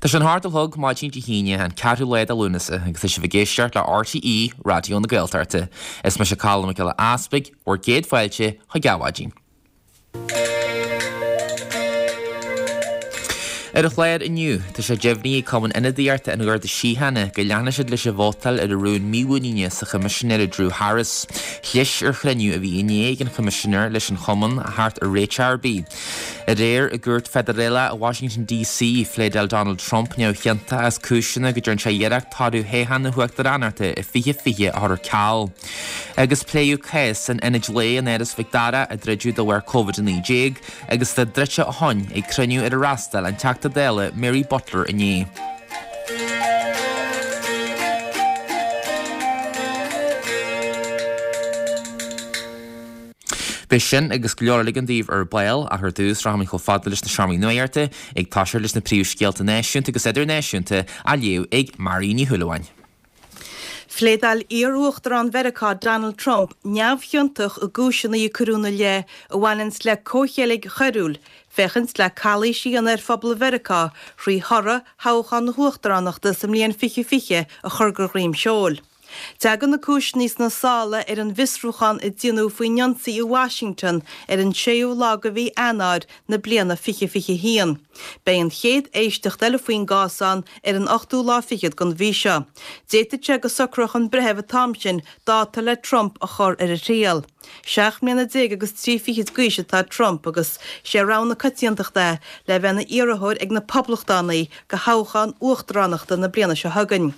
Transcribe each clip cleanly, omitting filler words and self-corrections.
Tá sé an hocht a chlog maidin Dé hAoine, an ceathrú lá de Lúnasa, agus tá sibh ag éisteacht le RTÉ Raidió na Gaeltachta. Is mise Colm Mac Giolla Easpaig, bhur gcéad fáilte chuig Adhmhaidin. Ar an chlár inniu, tá sé deimhnithe ag Cumann Ionadaíochta an Gharda Síochána go leanfaidh siad leis an vótáil ar an rún mímhuiníne sa Choimisinéir Drew Harris. Chlis ar chruinniú a bhí inné ag an Choimisinéir leis an chumann a theacht ar réiteach ar bith. Aréir i gcúirt feidearálach i Washington DC, phléadáil Donald Trump neamhchiontach as cúiseanna go dtearn sé iarracht toradh thoghchán na huachtaránachta i 2020 a chur ar ceal. Agus pléadh cás an ionaid lae in Áras Mhic Dara a druideadh de bharr Covid-19 agus atá druidte ó shoin ag cruinniú ar ar fhreastail an Teachta Dála Mary Butler inné. Beidh sin agus go leor eile againn daoibh ar ball ach ar dtús rachaimid chomh fada leis na seomraí nuachta ag toiseacht leis na príomhscéalta náisiúnta agus idirnáisiúnta á léamh ag Máirín Ní Shúilleabháin. Phléadáil iar-Uachtarán Mheiriceá Donald Trump neamhchiontach i gcúiseanna a cuireadh ina leith a bhaineanns le comhcheilg choiriúil féachaint le calaois a dhéanamh ar phobal Mheiriceá thrí thoradh thoghchán na huachtaránachta sa mbliain 2020 a chur de dhroim seoil. Tagann na cúiseanna sna sála ar an bhfiosrúchán a déanadh faoin ionsaí i Washington ar an séú lá de mhí Eanáir na bliana 2021. Beidh an chéad éisteacht eile faoin gcás ann ar an ochtú lá fichead den mhí seo. D'fhéadfadh sé go socródh an breitheamh an t-am sin dáta le Trump a chur ar a thriail. 17 mbliana agus 3 fichid d'aois atá Trump agus sé rogha na coitiantachta é le bheith ina iarrthóir ag na Poblachtánaigh do thoghchán uachtaránachta na bliana seo chugainn.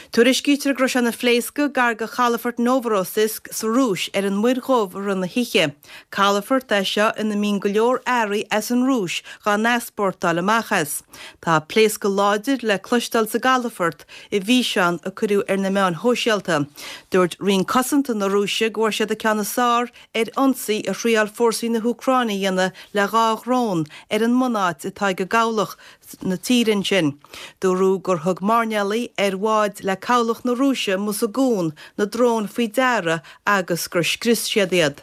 Tuairiscítear go raibh sé ina phléascadh gar do chalafort Novorossiysk sa Rúis ar an Muir Dhubh i rith na hoíche. Calafort é seo ina mbíonn go leor earraí as an Rúis dhá n-easpórtáil amach as. Tá pléascadh láidir le cloisteáil sa gcalafort i bhfíseán a cuireadh ar na meáin shóisialta. Dúirt Roinn Cosanta na Rúise go bhfuair siad an ceann is fearr ar ionsaí a thriáil fórsaí na hÚcráine a dhéanamh le dhá dhrón ar an mbunáit atá ag a gcabhlach na tíre ansin. Dúradh gur thug mairnéalaigh ar bhád le cabhlach na Rúise amuigh sa gcuan na dróin faoi deara agus gur scrios siad iad.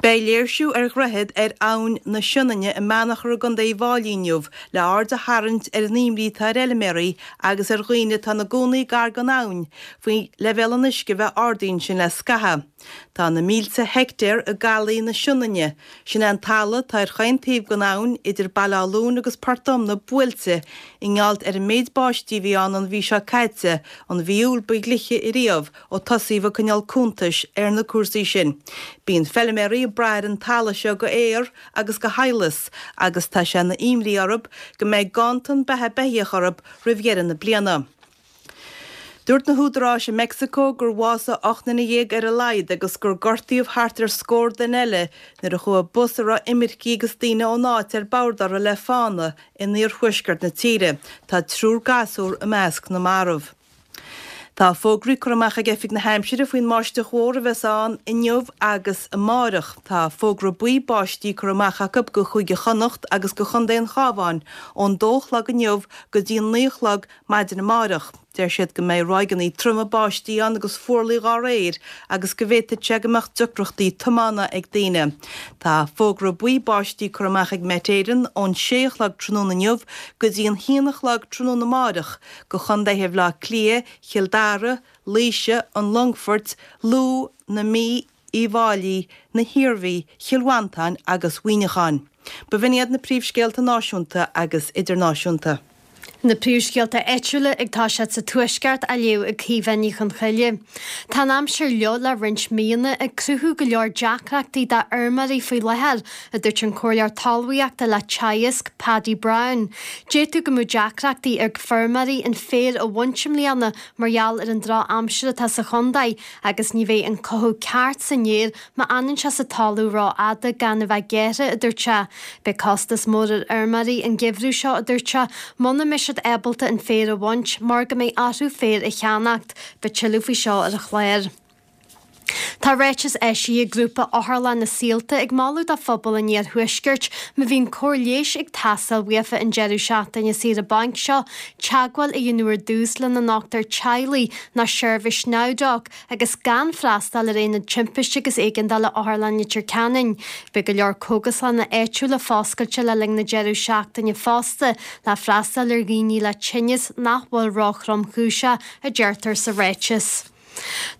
Beidh léirsiú ar dhroichead ar Abhainn na Sionainne i mBeannchar i gContae Uíbh Fháilí inniu le aird a tharraingt ar an imní atá ar fheilméaraí agus ar dhaoine atá ina gcónaí gar don abhainn faoi leibhéal an uisce a bheith ardaithe ansin le scaitheamh. Tá na mílte heictéar i gCalaí na Sionainne, sin é an talamh atá ar chaon taobh den abhainn idir Baile Átha Luain agus Port Omna, buailte i ngeall ar an méid báistí a bhí ann an mhí seo caite, an mhí Iúil ba ghliche ariamh ó tosaíodh ag coinneáil cuntais ar na cúrsaí sin. Bíonn feilméaraí ag brath ar an talamh seo go fhéar agus go sadhlas agus tá sé ina imní orthu go mbeidh ganntan beatha beithíoch orthu roimh dheireadh na bliana. Dúirt na húdaráis i Meicsiceo gur bhásaigh 18 nduine ar a laghad agus gur gortaíodh thart ar scór duine eile nuair a chuaigh bus a raibh imircigh agus daoine ón áit ar bord orthu le fána in iarthuaisceart na tíre. Tá triúr gasúr i measc na marbh. Tá fógraí curtha amach ag Oifig na hAimsire faoin mbáisteach mhór a bheas ann inniu agus amárach. Tá fógra buí báistí curtha amach acu go Chúige Chonnacht agus go Chontae an Chabháin ón dó a chlog inniu go dtí an naoi a chlog Maidin amárach, deir siad go mbeidh ráigeanna troma báistí ann agus fuarlaigh dhá réir agus go bhféadfadh sé go mbeadh deacrachtaí tiomána ag daoine. Tá fógra buí báistí curtha amach ag Met Éireann ón sé a chlog tráthnóna inniu go dtí an haon a chlog tráthnóna amárach go chontaetha Bhaile Átha Cliath, Chill Dara, Laoise, an Longfoirt, Lú, na Mí, Uíbh Fháilí, na hIarmhí, Chill Mhantáin agus Mhuineacháin. B'in iad na príomhscéalta náisiúnta agus idirnáisiúnta. Na príomhscéalta áitiúla ag toiseacht sa Tuaisceart á léamh ag Caoimhe Ní Chonchoille. Tá an aimsir fhliuch le roinnt míonna ag cruthú go leor deacrachtaí do fheirmeoirí faoi láthair, a dúirt an Comhairleoir Talmhaíochta le Teagasc, Paddy Browne. D'fhéadfadh go mbeadh deacrachtaí ag feirmeoirí an féar a bhaint i mbliana mar gheall ar an droch-aimsir atá sa chontae agus ní bheidh an cothú ceart san fhéar má fhanann sé sa talamh rófhada gan a bheith gearrtha, a dúirt sé. Beidh costas mór ar fheirmeoirí an geimhreadh seo, a dúirt sé, muna mbeidh siad ábalta an féar a bhaint mar go mbeidh orthu féar a cheannacht. Beidh tuilleadh faoi seo ar an chlár. Tá ráiteas eisithe ag grúpa Otharlann na Saolta ag moladh do phobal an iarthuaiscirt má bhíonn cóir leighis ag teastáil uafa an deireadh seachtaine saoire bainc seo, teagmháil a dhéanamh ar dtús lena ndochtúir teaghlaigh nó seirbhís NowDoc agus gan freastal ar Aonad Timpiste agus Éigeandála Otharlann Leitir Ceanainn. Beidh go leor cógaslanna áitiúla foscailte le linn na deireadh seachtaine fosta le freastal ar dhaoine le tinneas nach bhfuil ró-thromchúiseach, a deirtear sa ráiteas.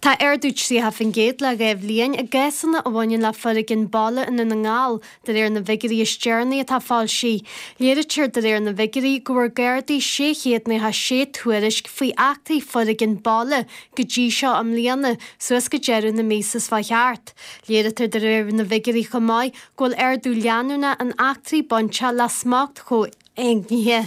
Tá ardú 30% le 2 bhliain i gcásanna a bhaineann le foréigean baile i nDún na nGall, de réir na bhfigiúirí is deireanaí atá foilsithe. Léirítear de réir na bhfigiúirí go bhfuair Gardaí 696 tuairisc faoi eachtraí foréigean baile go dtí seo i mbliana, suas go deireadh na míosa seo thart. Léirítear de réir na bhfigiúirí chomh maith go bhfuil ardú leanúnach in eachtraí bainteach le smacht comhéignithe.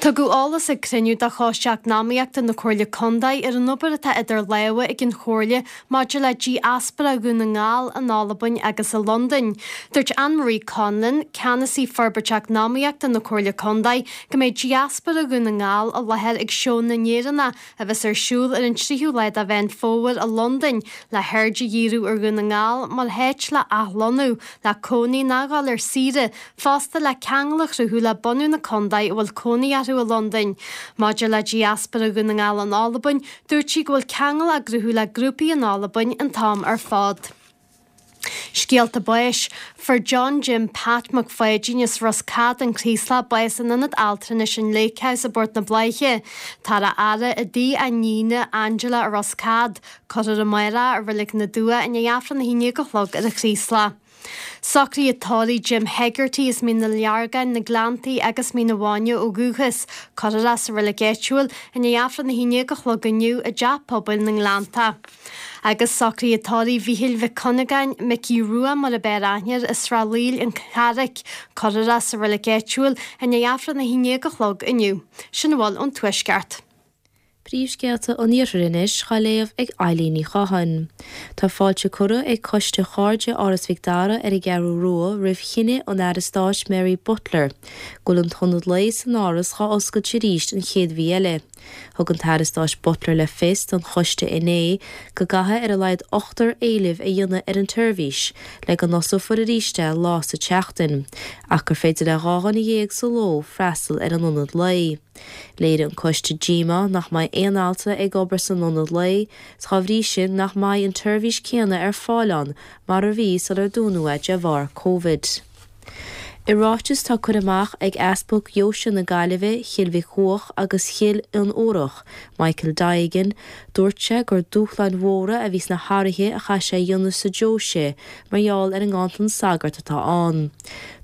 Tugadh eolas ag cruinniú de Choiste Eacnamaíochta na Comhairle Contae ar an obair atá idir lámha ag an Chomhairle maidir le diaspóra Dhún na nGall in Albain agus i Londain. Dúirt Anne Marie Conlon, Ceannasaí Forbairt Eacnamaíochta na Comhairle Contae, go mbeidh diaspóra Dhún na nGall i láthair ag Seó na nÉireannach a bheas ar siúl ar an 3ú lá de Mheán Fómhair i Londain, le haird a dhíriú ar Dhún na nGall mar háit le athlonnú, le cónaí nó dhul ar saoire, fosta le ceangal a chruthú le bunadh na contae a bhfuil cónaí orthu i Londain. Maidir le diaspóra Dhún na nGall in Albain, dúirt sí go bhfuil ceangal á gcruthú le grúpaí in Albain an t-am ar fad. Scéalta báis. Fuair John Jim Pat Mac Pháidín as Ros Cad, An Craoslach, bás in Ionad Altranais an Lake House i bPort na Bláiche. Táthar á fhaire i dtigh a iníne, Angela i Ros Cad. Cuirfear amárach i Reilig na dTuath i ndiaidh Aifreann a haon déag a chlog ar an Chraoslach. Socruithe tórraimh Jim Hegarty as Mín na Leargain, Na Gleanntaí agus Mín a' Bhainne ó dhúchas. Cuirfear é sa reilig áitiúil i ndiaidh Aifreann a haon déag a chlog inniu i dTeach Pobail na nGleannta. Agus socruithe tórraimh Mhíchíl Mhic Cuinneagáin, Micí Rua mar ab fhearr aithne air, as Srath Laoil, An Charraic. Cuirfear é sa reilig áitiúil i ndiaidh Aifreann a haon déag a chlog inniu. Sin a bhfuil ón Tuaisceart. Príomhscéalta an Iarthair anois dhá léamh ag Eilín Ní Chatháin. Tá fáilte curtha ag Coiste Chairde Áras Mhic Dara ar an gCeathrú Rua roimh chinneadh an Aire Stáit Mary Butler go bhfuil an t-ionad lae san Áras dhá oscailt arís an chéad mhí eile. Thug an tAire Stáit Butler le fios don choiste inné go gcaithfidh ar a laghad ochtar éileamh a dhéanamh ar an tseirbhís le go n-osclófar arís é lá sa tseachtain ach gur féidir le 12 dhuine sa ló freastal ar an ionad lae. Léirigh an coiste díomá nach mbeidh aon altra ag obair san ionad lae, 's dhá bhrí sin nach mbeidh an tseirbhís céanna ar fáil ann mar a bhí sular dúnadh é de bharr Covid. I ráiteas atá curtha amach ag Easpag Dheoise na Gaillimhe, Chill Mhic Dhuach agus Chill Fhionnúrach, Michael Diagan, dúirt sé gur dúshláin mhóra a bhí sna hathruithe a chaith sé a dhéanamh sa deoise mar gheall ar an nganntan sagart atá ann.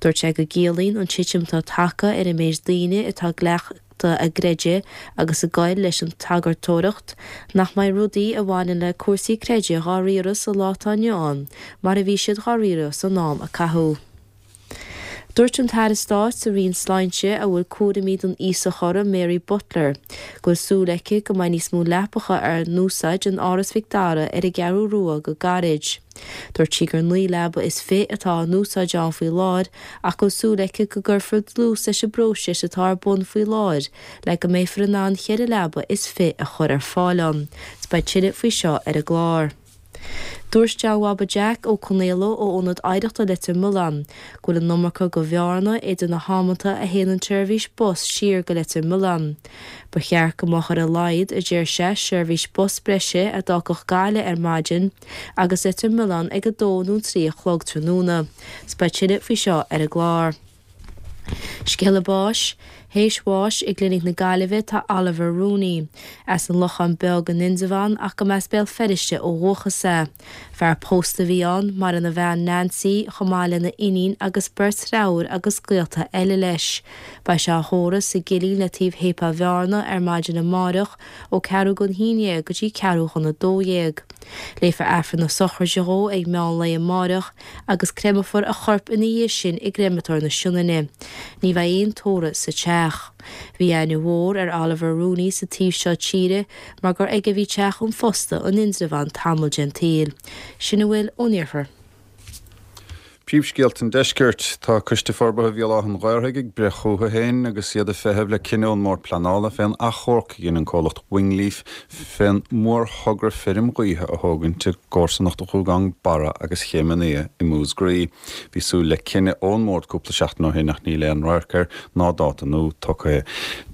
Dúirt sé go gciallaíonn an titim atá tagtha ar an méid daoine atá ag cleachtadh a gcreidimh agus ag goil leis an tsagartóireacht nach mbeidh rudaí a bhaineann le cúrsaí creidimh dhá riaradh sa lá atá inniu ann mar a bhí siad dhá riaradh san am a caitheadh. Dúirt an tAire Stáit sa Roinn Sláinte a bhfuil cúraimí don aosach orthu, Mary Butler, go bhfuil súil aici go mbeidh níos mó leapacha á n-úsáid in Áras Mhic Dara ar an gCeathrú Rua go gairid. Dúirt sí gur 29 leaba atá á n-úsáid ann faoi láthair ach go bhfuil súil aici go gcuirfear dlús leis an bpróiseas atá ar bun faoi láthair le go mbeifear in ann cheithre leaba is fi a chur ar fáil ann. Beidh tuilleadh faoi seo ar an gclár. Dúirt John Bhaba Jack Ó Conaola ó Ionad Oidhreachta Leitir Mealláin go bhfuil an iomarca go bhearna idir na hamanta a théann an tseirbhís bus siar go Leitir Mealláin. Ba cheart go mbeadh ar a laghad, a deir sé, seirbhís bus breise a d'fhágfadh Gaillimh ar maidin agus Leitir Mealláin ag 2 nó 3 a chlog tráthnóna. 'S beidh tuilleadh faoi seo ar an gclár. Scéala báis, Théis bháis i gClinic na Gaillimhe tá Oliver Rooney. As an Lochán Beag in Indreabhán ach go mb'as Béal Feirste ó dhúchas é. Fear pósta a bhí ann, maireann a bhean Nancy chomh maith lena iníon agus beirt dhreatháir agus gaolta eile leis. Beidh sé á thórramh sa gCillín le taobh Shéipéal Bhearna ar maidin amáireach ó ceathrú don haon dhéag go dtí ceathrú chun a dó dhéag. Léifear Aifreann na sochraide dhó ag meán lae amáireach agus creimeofar a chorp ina dhiaidh sin i gCreamatóir na Sionainne. Ní bheidh aon tórramh sa teach. Bhí aithne mhór ar Oliver Rooney sa taobh seo tíre mar gur aige a bhí teach an phosta in Indreabhán tamall den tsaol. Sin a bhfuil ón iarthar. Príomhscéalta an Deiscirt. Tá Coiste Forbartha Bhéal Átha an Ghaorthaidh ag breith chucu féin agus iad ag feitheamh le cinneadh ón mBord Pleanála fén achomharc a dhein an comhlacht Wingleaf fén mórthogra feirm ghaoithe a thógaint i gcomharsanacht Ghuagán Barra agus Chéim an Fhia i Múscraí. Bhí súil le cinneadh ón mBord cúpla seachtain ó shin ach níl aon radharc air ná dáta nua tugtha.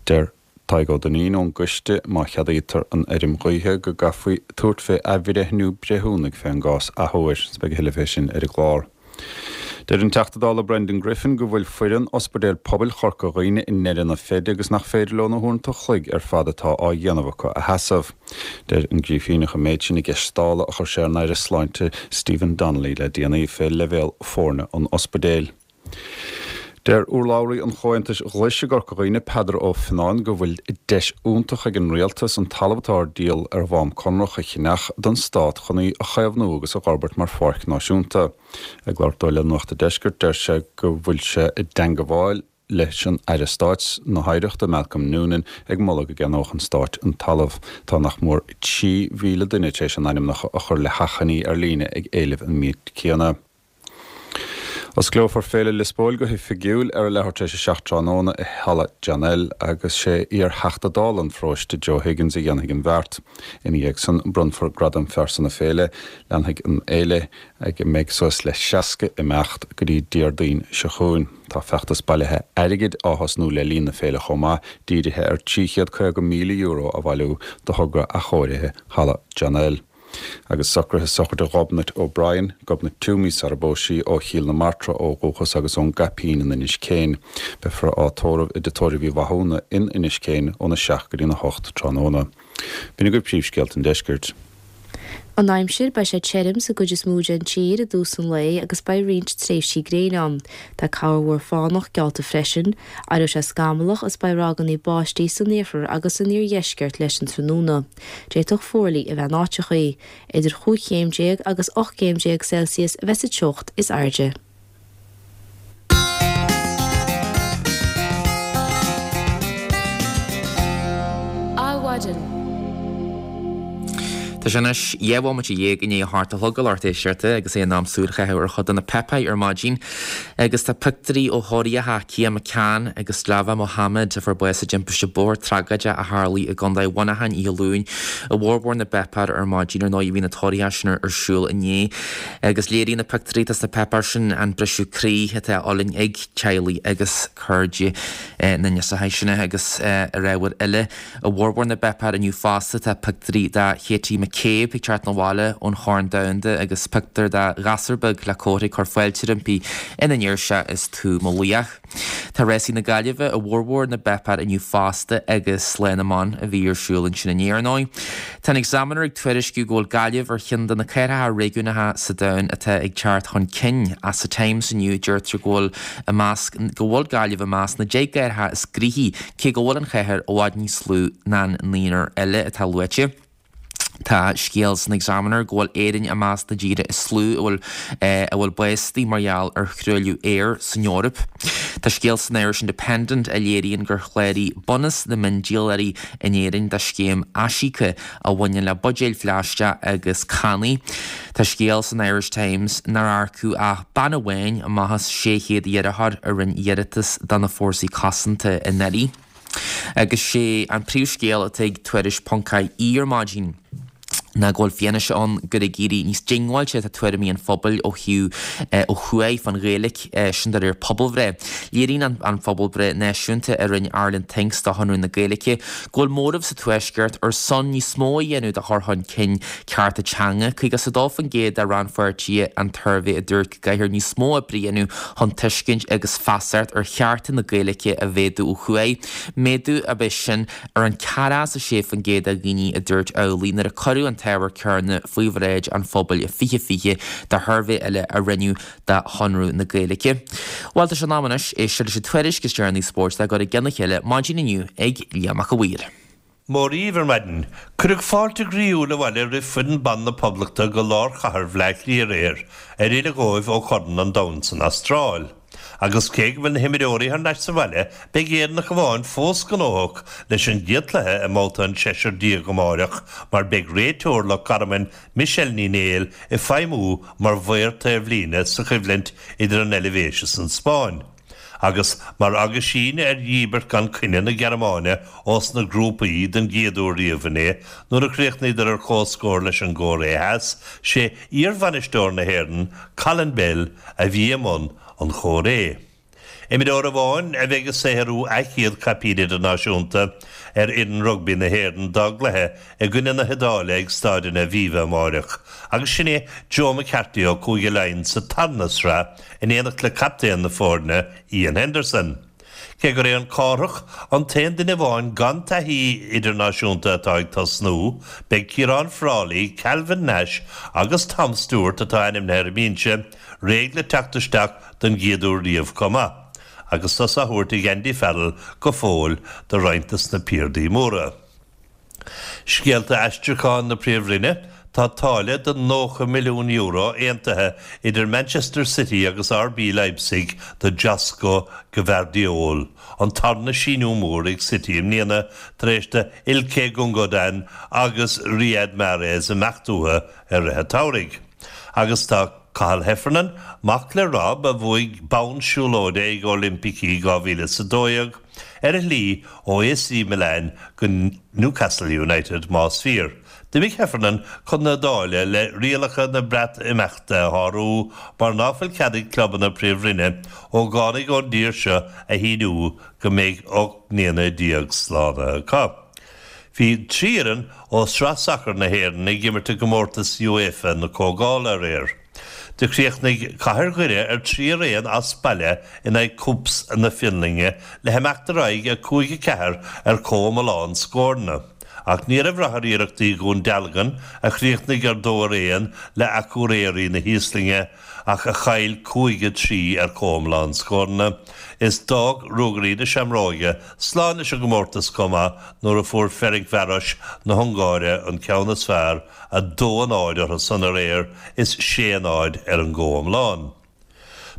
Deir Tadhg Ó Duinnín ón gcoiste, má cheadaítear an fheirm ghaoithe, go gcaithfí tabhairt fé athbhreithniú breithiúnaigh fén gcás athuair. Beidh a thuilleadh fé sin ar an gclár. Deir an Teachta Dála Brendan Griffin go bhfuil foireann Ospidéal Pobail Chorca Dhuibhne i ndeireadh na feide agus nach féidir leo na huaireanta an chloig ar fad atá á dhéanamh acu a sheasamh. Deir an Grífíneach an méid sin i gceist Dála a chuir sé ar an Aire Sláinte Stephen Donnelly le déanaí fé leibhéal foirne an ospidéil. Deir urlabhraí an Chomhaontais Ghlais i gCorca Dhuibhne, Peadar Ó Fionnáin, go bhfuil deis iontach ag an Rialtas an talamh atá ar díol ar bhonn conrach a cheannach don Stát chun í a chaomhnú agus a dh'fhorbairt mar pháirc náisiúnta. Ag labhairt dó le Nuacht an Deiscirt, deir sé go bhfuil sé i dteangabháil leis an Aire Stáit na hOidhreachta, Malcolm Noonan, ag moladh go gceannódh an Stáit an talamh. Tá nach mór 3,000 duine tar éis a n-ainmneacha a chur le hachainí ar líne ag éileamh an méid céanna. Osclófar Féile Liospóil go hoifigiúil ar a leathuair tar éis a 7 tráthnóna i Halla John L agus sé iar-Theachta Dála an pharóiste Joe Higgins a dhéanfaidh an bheart. Ina dhiaidh san bronnfar Gradam Phearsa na Féile. Leanfaidh an fhéile, ag a mbeidh suas le 60 imeacht, go dtí Déardaoin seo chugainn. Tá feachtas bailithe airgid á thosnú le linn na féile chomh maith, dírithe ar €350,000 a bhailiú do thogra athchóirithe Halla John L. Agus socruithe sochraide Ghobnait O'Brien, Gobnait Twomey sara bpós sí, ó Chill na Martra ó dhúchas agus ón gCaipín in Inis Céin. Beifear á tórramh i dTigh Tórraimh Uí Mhathúna in Inis Céin óna 7 go dtína 8 tráthnóna. B'in agaibh príomhscéalta an deiscirt. An aimsir, Beidh sé tirim sa gcuid is mó den tír i dtús an lae agus beidh roinnt tréimhsí gréine ann. Tá corrmhúr fánach geallta freisin. Éireoidh sé scamallach is beidh ráigeanna báistí san iarthar agus san iardheisceart leis an tráthnóna. D'fhéadfadh fuarlaigh a bheith in áiteachaí. Idir chúig chéim déag agus 18 gcéim Celsius a bheas sa teocht is airde. Adhmhaidin. Tá sé anois 12 bhomaite i ndiaidh a hocht a chlog a lucht éisteachta agus é in am súil a chaitheamh ar chuid de na páipéir ar maidin agus tá pictiúirí ó thórraíocha Cian McCann agus Lava Mohammed a fuair bás i dtimpiste bóthair tragóideach a tharlaigh i gContae Mhuineacháin oíche Luain i bhformhór na bpáipéar ar maidin. Ar ndóigh bhí na tórraíocha sin ar siúl inné. Agus léiríonn na pictiúirí atá sna páipéir sin an briseadh croí atá á fhulaingt ag teaghlaigh agus cairde na ndúiseacha sin agus ar ábhair eile. I bhformhór na bpáipéar inniu fosta tá pictiúirí de Katie McCabe ag teacht 'na bhaile ón Chorn Domhanda agus pictiúr de ghasúr beag le cófra ag cur fáilte roimpi ina ndeir sé 'Is tú mo laoch'. Tá rásaí na Gaillimhe i bhformhór na bpáipéar inniu fosta agus Lá na mBan a bhí ar siúl ansin inné ar ndóigh. Tá an Examiner ag tuairisciú go bhfuil Gaillimh ar cheann de na cathracha réigiúnacha sa domhan atá ag teacht chun cinn. Ach sa Times inniu deirtear go bhfuil i measc go bhfuil Gaillimh i measc na 10 gcathracha is gnoithí cé go bhfuil an chathair i bhfad níos lú ná an naonúr eile atá luaite. Tá scéal san Examiner go bhfuil Éirinn i measc na dtíortha is lú a bhfuil a bhfuil básaithe mar gheall ar thruailliú aeir san Eoraip. Tá scéal san Irish Independent a léiríonn gur chláraigh bunús na miondíolóirí in Éirinn do scéim aisíoca a bhaineann le buidéil phlaisteach agus cannaí. Tá scéal san Irish Times nár earcaíodh ach bean amháin amach as 600 iarrthóir a rinne iarratas do na Fórsaí Cosanta anuraidh. Agus sé an príomhscéal atá ag Tuairisc ponc ie ar maidin ná go bhfuil fianaise ann gur ag éirí níos diongbháilte atá tuairimí an phobail ó thaobh ó thuaidh fán Ghaeilge, sin de réir pobalbhreith. Léiríonn an phobalbhreith náisiúnta a rinne Ireland Thinks do Chonradh na Gaeilge go bhfuil móramh sa Tuaisceart ar son níos mó a dhéanamh do chur chun cinn cearta teanga. 52% de rannpháirtithe an tsuirbhé a dúirt go gcaithfear níos mó oibre a dhéanamh chun tuiscint agus feasacht ar chearta na Gaeilge a mhéadú ó thuaidh. Méadú ab ea sin ar an 46% de dhaoine a dúirt amhlaidh nuair a cuireadh an t-ábhar céanna faoi bhráid an phobail i 2020 de shuirbhé eile a rinneadh do Chonradh na Gaeilge. Bhuel, tá sé in am anois éisteacht leis an tuairisc is deireanaí spóirt le gcur i gcionn a chéile maidin inniu ag Liam Mac a' Mhaoir. Mora dhaoibh ar maidin. Cuireadh fáilte ghroíúil abhaile roimh foireann ban na Poblachta go lár chathair Bhleá Cliath aréir, ar fhilleadh dhóibh ó Chorn an Domhain san Astráil. Agus cé go bhfuil na himreoirí thar n-ais sa bhaile, beidh Éireannach amháin fós gnóthach leis an gcéad chluiche i mbabhta an seisear déag amáireach mar beidh réiteoir Loch Garman, Michelle Ní Néill, ag feidhmiú mar mhaor taobhlíne sa choimhlint idir an Eilvéis is an Spáinn. Agus mar aguisín ar dhíbirt gan coinne na Gearmáine ós na grúpaí den gcéad uair riamh inné, nuair a chríochnaíodar ar comhscór leis an gCóiré Theas, sé iarbhainisteoir na hÉireann, Colin Bell, a bhí i mbun an chomhréidh. Imreoir amháin a bheidh ag saothrú a chéad chaipín idirnáisiúnta ar fhoireann rugbaí na hÉireann dá gcluiche i gcoinne na hIodáile ag Staid an Aviva amáireach agus sin é Joe McCarthy ó Chúige Laighean sa tarna sraith in éineacht le captaen na foirne, Iain Henderson. Cé gur é an Cárthach an t-aon duine amháin gan taithí idirnáisiúnta atá ag tosnú, beidh Ciarán Frawley, Calvin Nash agus Tom Stewart, atá ainmnithe ar an mbinse, réidh le teacht isteach don gcéad uair riamh chomh maith, agus sos á thabhairt ag Andy Farrell go fóill do roinnt des na piardaí móra. Scéalta aistriúcháin na Príomhroinne, Tá táille de €90 milliún aontaithe idir Manchester City agus RB Leipzig do Josko Gvardiol, an tarna síniú mór ag City i mbliana tar éis do Ilkay Gundogan agus Riyad Mahrez imeacht uathu i rith an tsamhraidh. Agus tá Cathal Heffernan, mac le Rob, a bhuaigh bonn siúlóide ag Oilimpicí 2012, ar a shlí ó AC Milan go Newcastle United, más fíor. D'imigh Heffernan chun na hIodáile le rialacha na Breatimeachta a shárú mar ná fuil cead ag clubanna Príomhroinne ógánaigh ón dtír seo a shíniú go mbeidh 18 mbliana slánaithe acu. Bhí 3 fhoireann ó Sraith Sacair na hÉireann ag imirt i gcomórtas UEFA na Comhdhála aréir. Do chríochnaigh Cathair Dhoire ar 3 ar 1 as baile in aghaidh KuPS na Fionlainne le himeacht ar aghaidh 5 4 ar chomhiomlán scóranna. Ach ní raibh rath ar iarrachtaí Dhún Dealgan, a chríochnaigh ar 2 ar 1 le Akureyri na hÍoslainne ach a chaill 5 3 ar chomhiomlán scóranna. Is d'fhág Ruagairí na Seamróige slán leis an gcomórtas chomh maith nuair a fuair Ferencvaros na hUngáire an ceann is fearr, 2, 0 orthu san aréir is 6, 0 ar an gcomhiomlán.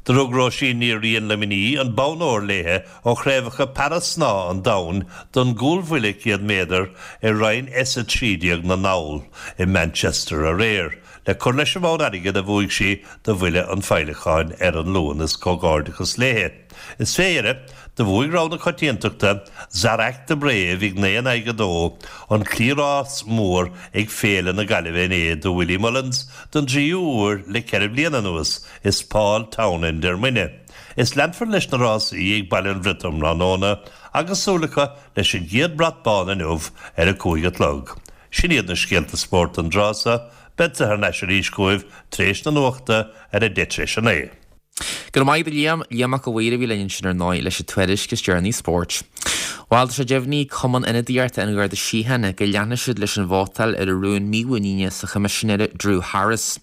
Do rug Róisín Ní Riain Luimní an bonn óir léithe ó Chraobhacha Para-Snámha an Domhain don gcúlbhuille 100 méadar i roinn S13 na ndall i Manchester aréir, le cur leis an mbonn airgid a bhuaigh sí do bhuille an féileacáin ar an Luan. Is comhghairdeachas léithe. Is fé dheireadh, do bhuaigh rogha na coitiantachta, Zarak The Brave ag 9 in aghaidh 2, an cliathrás mór ag Féile na Gaillimhe inné do Willie Mullins don dtríú huair le ceithre bliana anuas, is Paul Townend ar muine. Is leanfar leis na rásaí ag Baile an Bhriotaigh um thráthnóna agus súil acu leis an gcéad brat bán inniu ar a 5 a chlog. Sin iad na scéalta spóirt don dtráth seo, beadsa thar n-ais arís chugaibh tar éis na nuachta ar a deich tar éis a naoi. Go raibh maith agat a Liam. Liam Mac a' Mhaoir a bhí linn ansin ar ndóigh leis an tuairisc is deireanaí spóirt. Bhuel, tá sé deimhnithe ag Cumann Ionadaíochta an Gharda Síochána go leanfaidh siad leis an vótáil ar an rún mímhuiníne sa Choimisinéir Drew Harris.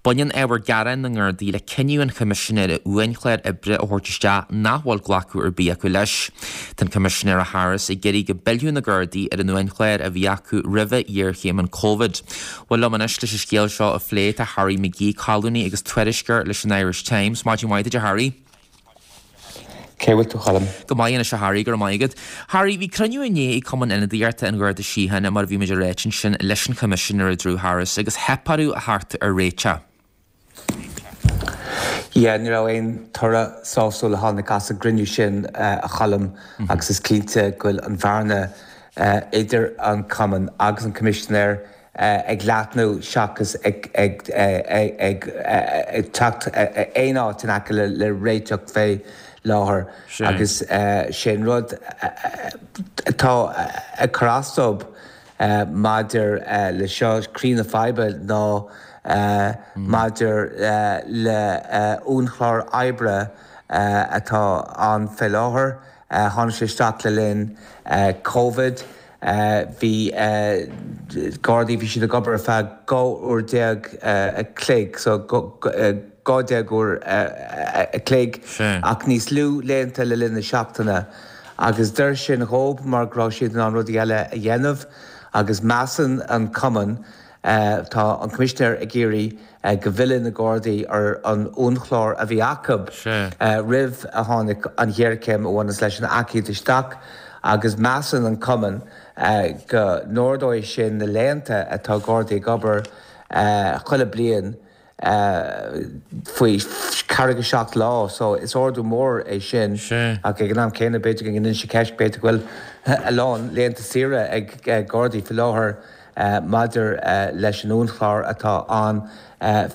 Baineann ábhar gearáin na nGardaí le cinneadh an Choimisinéara uainchlár oibre a thabhairt isteach nach bhfuil glacadh ar bith acu leis. Tá an Coimisinéir Harris ag iarraidh go bpillfeadh na Gardaí ar an uainchlár a bhí acu roimhe ghéarchéim an Covid. Bhuel liom anois leis an scéal seo a phlé tá Harry McGee, colúnaí agus tuairisceoir leis an Irish Times. Maidin mhaith duit a Harry. Cé bhfuil tú, Colm? Go maith anois a Harry, go raibh maith agat. Harry, bhí cruinniú inné ag Cumann Ionadaíochta an Gharda Síochána, mar a bhí muid ag ráit ansin, leis an Choimisinéir Drew Harris agus theip orthu a theacht ar réiteach. Yeah, ní raibh aon toradh sásúil a tháinig as an gcruinniú sin, a Choilm, agus is cinnte go bhfuil an bhearna idir an Cumann agus an Coimisinéir ag leathnú seachas ag teacht aon áit in aice le réiteach fé láthair. Agus sé an rud atá ag cur as dóibh Maidir le seo, croí na faidhbe ná maidir le uainchlár oibre atá ann fé láthair. Tháinig sé isteach le linn Covid. Bhí Gardaí, bhí siad ag obair ar feadh 12 uair a chloig, so 12 uair a chloig, ach níos lú laethanta le linn na seachtaine. Agus d'oir sin dhób mar go raibh siad in ann rudaí eile a dhéanamh agus measann an Cumann. Tá an Coimisinéir ag iarraidh go bhfillfidh na Gardaí ar an uainchlár a bhí acu roimh a tháinig an ghéarchéim a bhaineas leis an aicíd isteach agus measann an Cumann go n-ardóidh sin na laethanta atá Gardaí ag obair chuile bliain faoi 47 lá so is ardú mór é sin ach ag an am céanna b'fhéidir go ngineann sé ceist b'fhéidir go bhfuil a lán laethanta saoire ag Gardaí faoi láthair maidir leis an uainchlár atá ann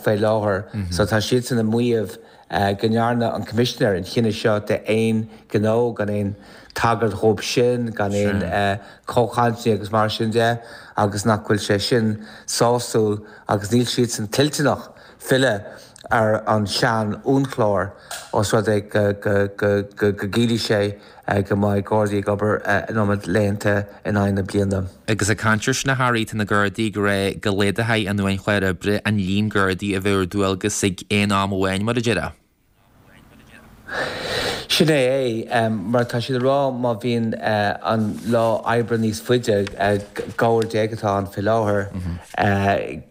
faoi láthair. So tá siadsan ag maíomh go ndearna an Coimisinéir an chinneadh seo d'aon ghnó, gan aon tagairt dhóibh sin, gan aon comhchainteanna agus mar sin de, agus nach bhfuil sé sin sásúil agus níl siadsan toilteanach filleadh ar an sean uainchlár os rud é go gciallóidh sé go mbeidh Gardaí ag obair an iomad laethanta in aghaidh na bliana. Agus ag caint ar sin a Harry, tá na Gardaí ag rá go laghdófaí an uainchlár oibre an líon Gardaí a bheadh ar dualgas ag aon am amháin, mar a déarfá. Sin é é, mar tá siad ag rá má bhíonn an lá oibre níos faide, 12 uair atá ann faoi láthair,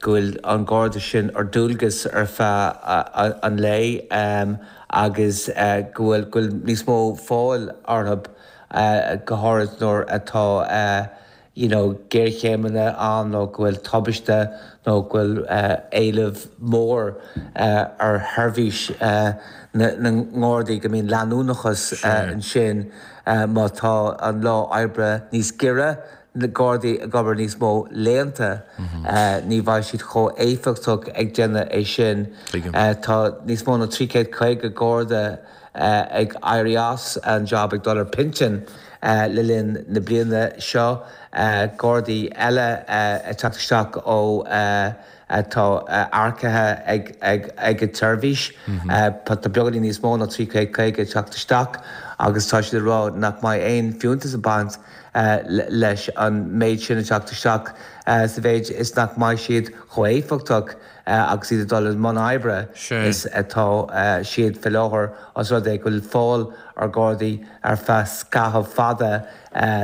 go bhfuil an Garda sin ar dualgas ar feadh an lae agus go bhfuil go bhfuil níos mó fáil orthu, go háirid nuair atá you know géarchéimeanna ann nó go bhfuil tubaiste nó go bhfuil éileamh mór ar sheirbhís na nGardaí, go mbíonn leanúnachas ansin má tá an lá oibre níos giorra, na Gardaí ag obair níos mó laethanta, ní bheidh siad chomh éifeachtach ag déanamh é sin. Tá níos mó ná 350 Garda ag éirí as an jab, ag dul ar pinsean le linn na bliana seo, Gardaí eile ag teacht isteach ó atá earcaithe ag an tseirbhís. Tá beagáinín níos mó ná 350 ag teacht isteach agus tá siad ag rá nach mbeidh aon fiúntas ag baint leis an méid sin ag teacht isteach sa mhéid is nach mbeidh siad chomh éifeachtach agus iad ag dul i mbun oibre is atá siad faoi láthair os rud é go bhfuil fáil ar Ghardaí ar feadh scaitheamh fada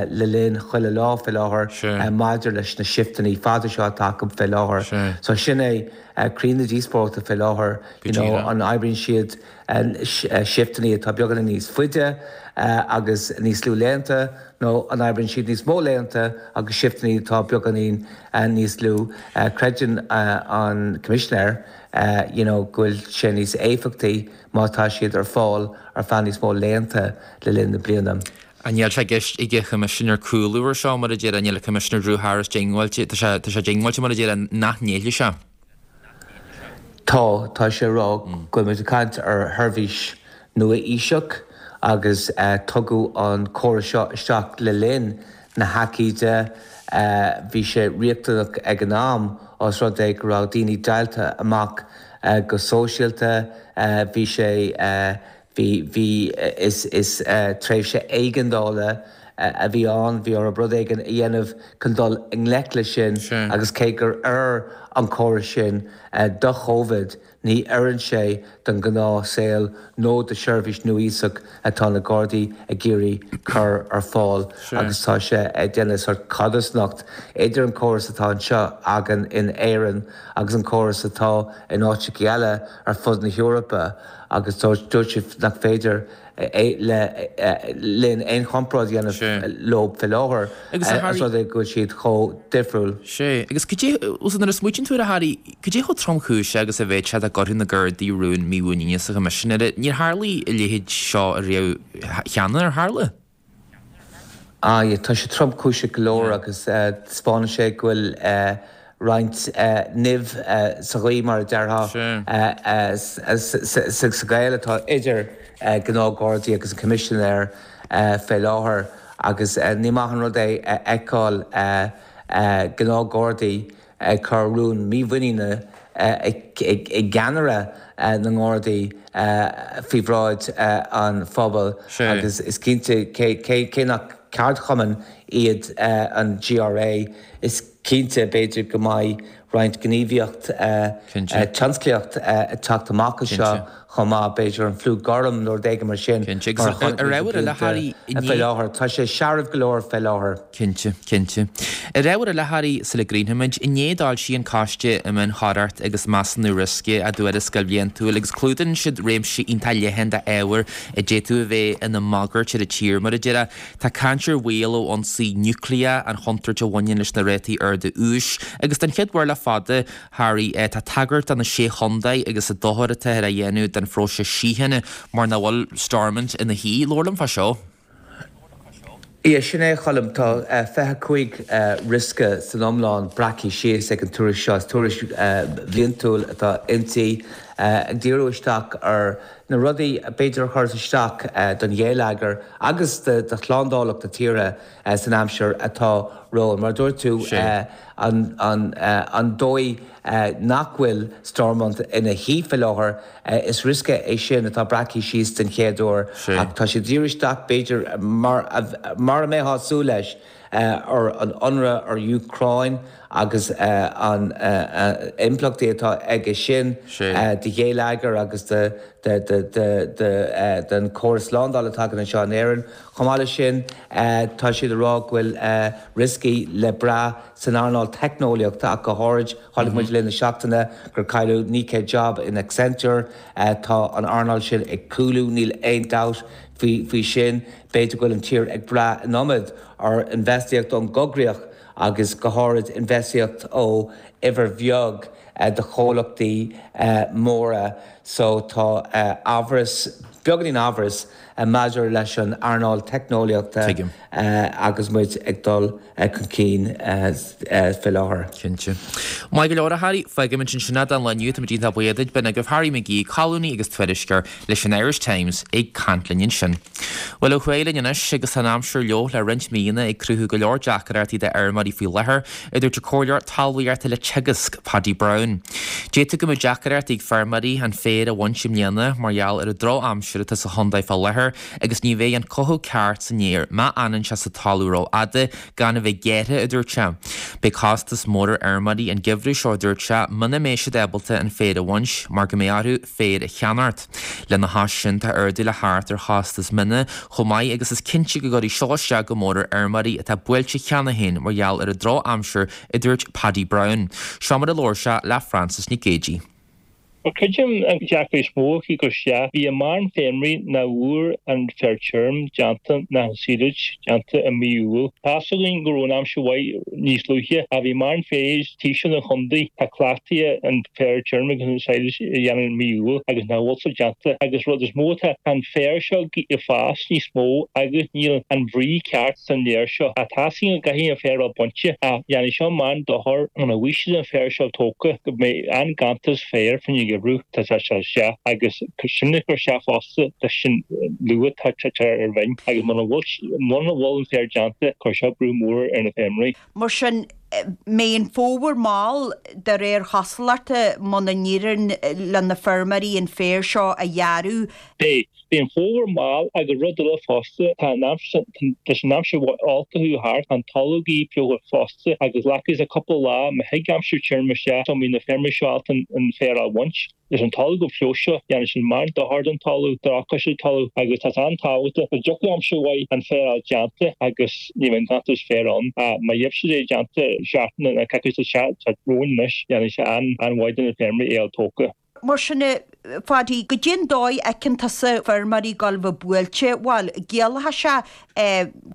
le linn chuile lá faoi láthair maidir leis na sifteanna fada seo atá acu faoi láthair. So sin é croí na díospóireachta faoi láthair, you know, an oibríonn siad sifteanna atá beagáinín níos faide agus níos lú laethanta nó an oibríonn siad níos mó laethanta agus sifteanna atá beagáinín níos lú. Creideann an Coimisinéir you know go bhfuil sé níos éifeachtaí má tá siad ar fáil ar feadh níos mó laethanta le linn na bliana. Níl sé i gceist ag an Choimisinéir cúlú air seo, mar a déarfá, níl an Coimisinéir Drew Harris diongbháilte, tá sé, tá sé diongbháilte mar a déarfá nach ngéillfidh sé. Tá, tá sé ag rá go bhfuil muid ag caint ar sheirbhís nua-aoiseach agus tugadh an córas seo isteach le linn na haicíde. Bhí sé riachtanach ag an am os rud é go raibh daoine deighilte amach go sóisialta. Bhí sé, bhí, bhí, is, is tréimhse éigeandála a bhí ann. Bhí orthu rud éigin a dhéanamh chun dul i ngleic leis sin agus cé gur oir an córas sin do Chovid, Ní oireann sé don ghnáth saol nó do sheirbhís nua-aoiseach atá na Gardaí ag iarraidh cur ar fáil agus tá sé ag déanamh sórt codarsnacht idir an córas atá anseo againn in Éirinn agus an córas atá in áiteacha eile ar fud na hEorpa agus dúirt sé nach féidir le linn aon chomparáid a dhéanamh leo faoi láthair, os rud é go bhfuil siad chomh difriúil. Sea, agus cad é, nuair a smaoitíonn tú air a Harry, cad é chomh tromchúiseach agus a bheadh sé dá gcuirfeadh na Gardaí rún mímhuiníne sa Choimisinéir? Níor tharla a leithéid seo ariamh cheana, ar tharla? Aye, tá sé tromchúiseach go leor agus taispeánann sé go bhfuil roinnt nimh sa ghaoth, mar a déarfá, sa ghaol atá idir gnáth-Ghardaí agus an Coimisinéir fé láthair agus ní maith an rud é a fheiceáil gnáth-Ghardaí ag cur rún mímhuiníne i gceannaire na nGardaí faoi bhráid an phobail agus is cinnte, cé nach ceardchumann iad an GRA, is cinnte, b'fhéidir, go mbeidh. roinnt gníomhaíocht tionsclaíocht ag teacht amach anseo chomh maith, b'fhéidir an fliú gorm nó rud éigin mar sin mar a chonaic muid na blianta fé láthair. Tá sé searbh go leor fé láthair. Cinnte, cinnte. Ar ábhar eile, a Harry, sula gcríochnóimid, inné d'fhoilsigh an Coiste um Iniúchóireacht agus Measúnú Riosca a dtuarascáil bhliantúil agus clúdaíonn siad réimse iontach leathan d'ábhair a d'fhéadfadh a bheith ina mbagairt ar an tír, mar a déarfá. Tá caint ar bhaol ó ionsaí núicléach, an chontúirt a bhaineann leis na rátaí arda úis, agus den chéad uair le fada, Harry, tá tagairt do na Sé Chontae agus an dochar atáthar a dhéanamh don phróiseas síochána mar nach bhfuil Stormont ina shuí. Labhair liom fá seo. Yeah, sin é, a Choilm. Tá 25 riosca san iomlán breactha síos ag an tuairisc seo. Is tuairisc bhliantúil atá inti, ag díriú isteach ar na rudaí b'fhéidir a chuirfeas isteach don gheilleagar agus do shlándálacht na tíre san aimsir atá romhainn. Mar a dúirt tú, an dóigh nach bhfuil Stormont ina shuí faoi láthair, is riosca é sin atá breactha síos den chéad uair ach tá sé ag díriú isteach, b'fhéidir, mar a mbeifeá ag súil leis, ar an ionradh ar Úcráin agus an impleachtaí atá aige sin do gheilleagar agus don chóras slándála atá againn anseo in Éirinn. Chomh maith leis sin, tá siad ag rá go bhfuil rioscaí le brath san earnáil teicneolaíochta ach go háirid. Chonaic muid le linn na seachtaine gur cailleadh 900 job in Accenture. Tá an earnáil sin ag cúlú, níl aon dabht faoi sin. B'fhéidir go bhfuil an tír ag brath an iomad ar infheistíocht ón gcoigríoch agus go háirid infheistíocht ó uimhir bheag de chomhlachtaí móra so tá amhras, beagáinín amhras maidir leis an earnáil teicneolaíochta agus muid ag dul chun cinn faoi láthair. Cinnte. Maith go leor, a Harry. Fágfaimid ansin é don lá inniu. Táimid iontach buíoch duit. B'in agaibh Harry McGee, colúnaí agus tuairisceoir leis an Irish Times ag caint linn ansin. Bhuel, ó thuaidh linn anois, agus tá an aimsir fhliuch le roinnt míonna ag cruthú go leor deacrachtaí d'fheirmeoirí faoi láthair, a dúirt an Comhairleoir Talmhaíochta le Teagasc, Paddy Browne. D'fhéadfadh go mbeadh deacrachtaí ag feirmeoirí an féar a bhaint i mbliana mar gheall ar an drochaimsir atá sa chontae fá láthair agus ní bheidh an cothú ceart san fhéar má fhanann sé sa talamh rófhada gan a bheith gearrtha, a dúirt sé. Beidh costas mór ar fheirmeoirí an geimhreadh seo, a dúirt sé, muna mbeidh siad ábalta an féar a bhaint mar go mbeidh orthu féar a cheannacht. Lena chois sin, tá ardú le theacht ar chostas mine chomh maith agus is cinnte go gcuirfidh seo isteach go mór ar fheirmeoirí atá buailte cheana féin mar gheall ar an drochaimsir, a dúirt Paddy Browne. Seo mar a labhair sé le Frances Nic Géadaigh. Bhuel, creidim an deacracht is mó ag cur isteach, bhí a mórán feirmeoirí nach bhfuair an féar tirim déanta ná an silage déanta i mí Iúil. Tá's againn go raibh an aimsir mhaith níos luaithe ach bhí mórán féir taobh den chontae tá cleachtaithe an féar tirim agus an silage a dhéanamh i mí Iúil agus nach bhfuil sé déanta agus rud is mó atá tá an féar seo ag fás níos mó agus níl an bhrí ceart san fhéar seo. Ach tá's againn go gcaithfidh an féar a bheith bainte ach dhéanfaidh seo mórán dochar muna bhfaighidh siad an féar seo tógtha go mbeidh an-ganntanas féir faoin gheimhreadh tá sé isteach agus sin ag cur isteach fosta leis an luath tá sé ar bhinn agus muna bhfuil muna bhfuil an féar déanta cuirfidh seo brú mór ar na feirmeoirí. Mar sin, mbeidh an fómhar mall de réir chosúlachta muna n-éiríonn le na feirmeoirí an féar seo a ghearradh. Beidh. Beidh an fómhar mall agus rud eile fosta, tá an aimsir, leis an aimsir olc a chuaigh thart, tá an talamh ag fliuchadh fosta agus glacfaidh sé cúpla lá má thig aimsir tirim isteach sula mbeidh na feirmeoirí seo ábalta an féar a bhaint. Leis an talamh chomh fliuch seo, dhéanfaidh sin mórán dochar don talamh, drochchás don talamh agus tá sé an-tábhachtach go dtiocfaidh aimsir mhaith an féar a fháil déanta agus ní bheidh an ganntanas féir ann. Ach má gheibh siad é déanta seachtain nó coicís atá romhainn anois, dhéanfaidh sé an-mhaith do na feirmeoirí é a fháil tógtha. Mar sin, a Phaddy, goidé an dóigh a fheiceann tusa feirmeoirí ag gabháil a bheith buailte? Bhuel, ciallóidh sé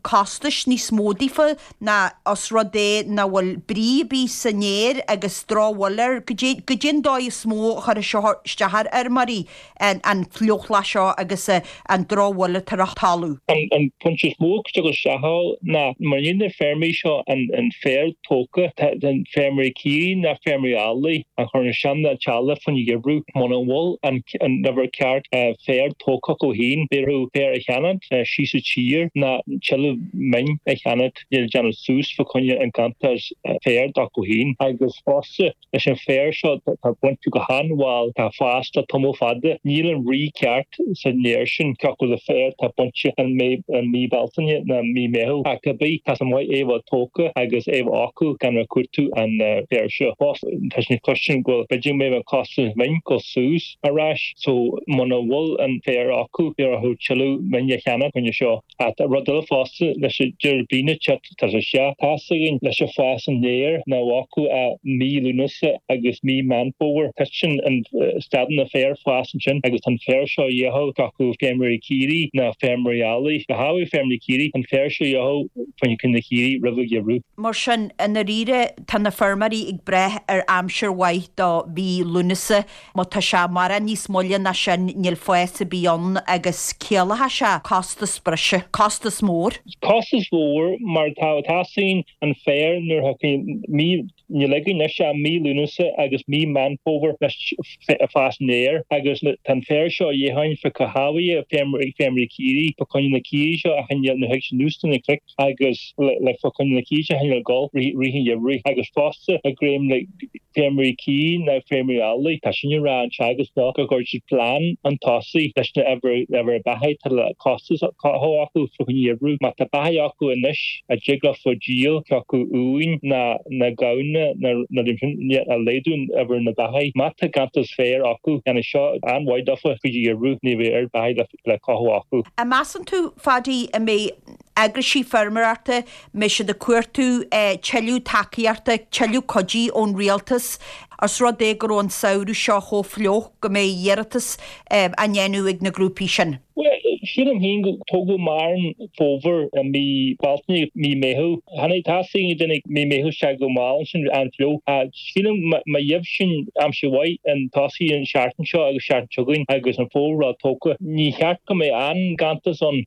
costais níos mó daofa ná os rud é nach bhfuil brí ar bith san fhéar agus drochbhail air. Goidé an dóigh is mó a chuirfidh seo isteach ar fheirmeoirí, an fliuchlá seo agus an drochbhail atá ar an talamh? An pointe is mó a chuirfeadh isteach ann ná mura ndéanann na feirmeoirí seo an féar tógtha, tá feirmeoirí caoirigh ná feirmeoirí eallaigh a chuireann isteach na teaghlaigh faoin gheimhreadh muna bhfuil. an uimhir ceart féar tógtha acu féin, beidh orthu féar a cheannacht síos sa tír ná tuilleadh min a cheannacht le déanamh suas fá choinne an ganntanas féir acu féin. Agus fosta leis an féar seo tá bainte go han-mhall, tá fás le tamall fada, níl an rith ceart san fhéar sin cé acu le féar tá bainte i mí Bealtaine ná mí Meitheamh. Ach cibé, tá sé maith é bheith tógtha agus é bheith acu gan a cuartú an féar seo. Fosta tá sé cloisim go bhfuil b'fhéidir go mbeidh an costas min dul suas ar ais so muna bhfuil an féar acu beidh orthu tuilleadh min a cheannach choinne seo. Ach tá rud eile fosta leis an deireadh bliana te Tá sé seo tá's againn leis an fás an fhéir nach bhfágfadh ach mí Lúnasa agus mí Meán Fómhair. Titeann an stadann an féar fás ansin agus tá an féar seo a dhíothú acu feirmeoirí caoirigh ná feirmeoirí eallaigh. Go háirithe feirmeoirí caoirigh, an féar seo a dhíothú faoin gcoinne na caoirigh roimh an gheimhreadh. Mar sin, i ndáiríre, tá na feirmeoirí ag brath ar aimsir mhaith do mhí Lúnasa. Má tá sé mórán níos moille ná sin, níl fás ar bith ann agus ciallóidh sé costas breise, costas mór. Costas mhór mar tá teastaíonn an féar nuair a thiocfaidh mí, níl againn anois ach mí Lúnasa agus mí Meán Fómhair leis fás an fhéir agus tá an féar seo a dhíotháin fá cothabhaithe feirmeoirí caoirigh fá choinne na caoirigh seo a choinneáil nuair a thig siad anuas de na cnoic agus le fá choinne na caoirigh seo a choinneáil ag gol rith an gheimhridh agus fosta ag greim le feirmeoirí caoirigh ná feirmeoirí eallaigh. Tá sin ag rá an Teagasc seo go gcuirfidh siad plean chun tosaigh leis na uimhir beathaí atá le costas cothú acu fá choinne gheimhreadh. Má tá beathaí acu anois a dtig leofa díol cé acu uain ná na gamhna ná na sin a laghdú uimhir na beathaí. Má tá ganntanas féir acu déanfaidh seo an-mhaith dófa chuid gheimhreadh ní bheidh oiread beathaí le cothú acu. An measann tú, Phaddy, an mbeidh eagraisí feirmeoireachta, mbeidh siad ag cuartú tuilleadh tacaíochta, tuilleadh cuidí ón rialtas, os rud é go raibh an samhradh seo chomh fliuch, go mbeidh iarratas á ndéanamh ag na grúpaí sin? Bhuel, sílim féin go tógadh mórán fómhair i mí Bealtaine, mí Meitheamh. Tháinig teastaigh duine mí Meitheamh isteach go mall ansin, an-fhliuch. Sílim má gheibh sinn aimsir mhaith chun tosaigh an seachtain seo agus seachtain seo chugainn agus an fómhar tógtha, ní cheart go mbeidh aon ganntanas ann.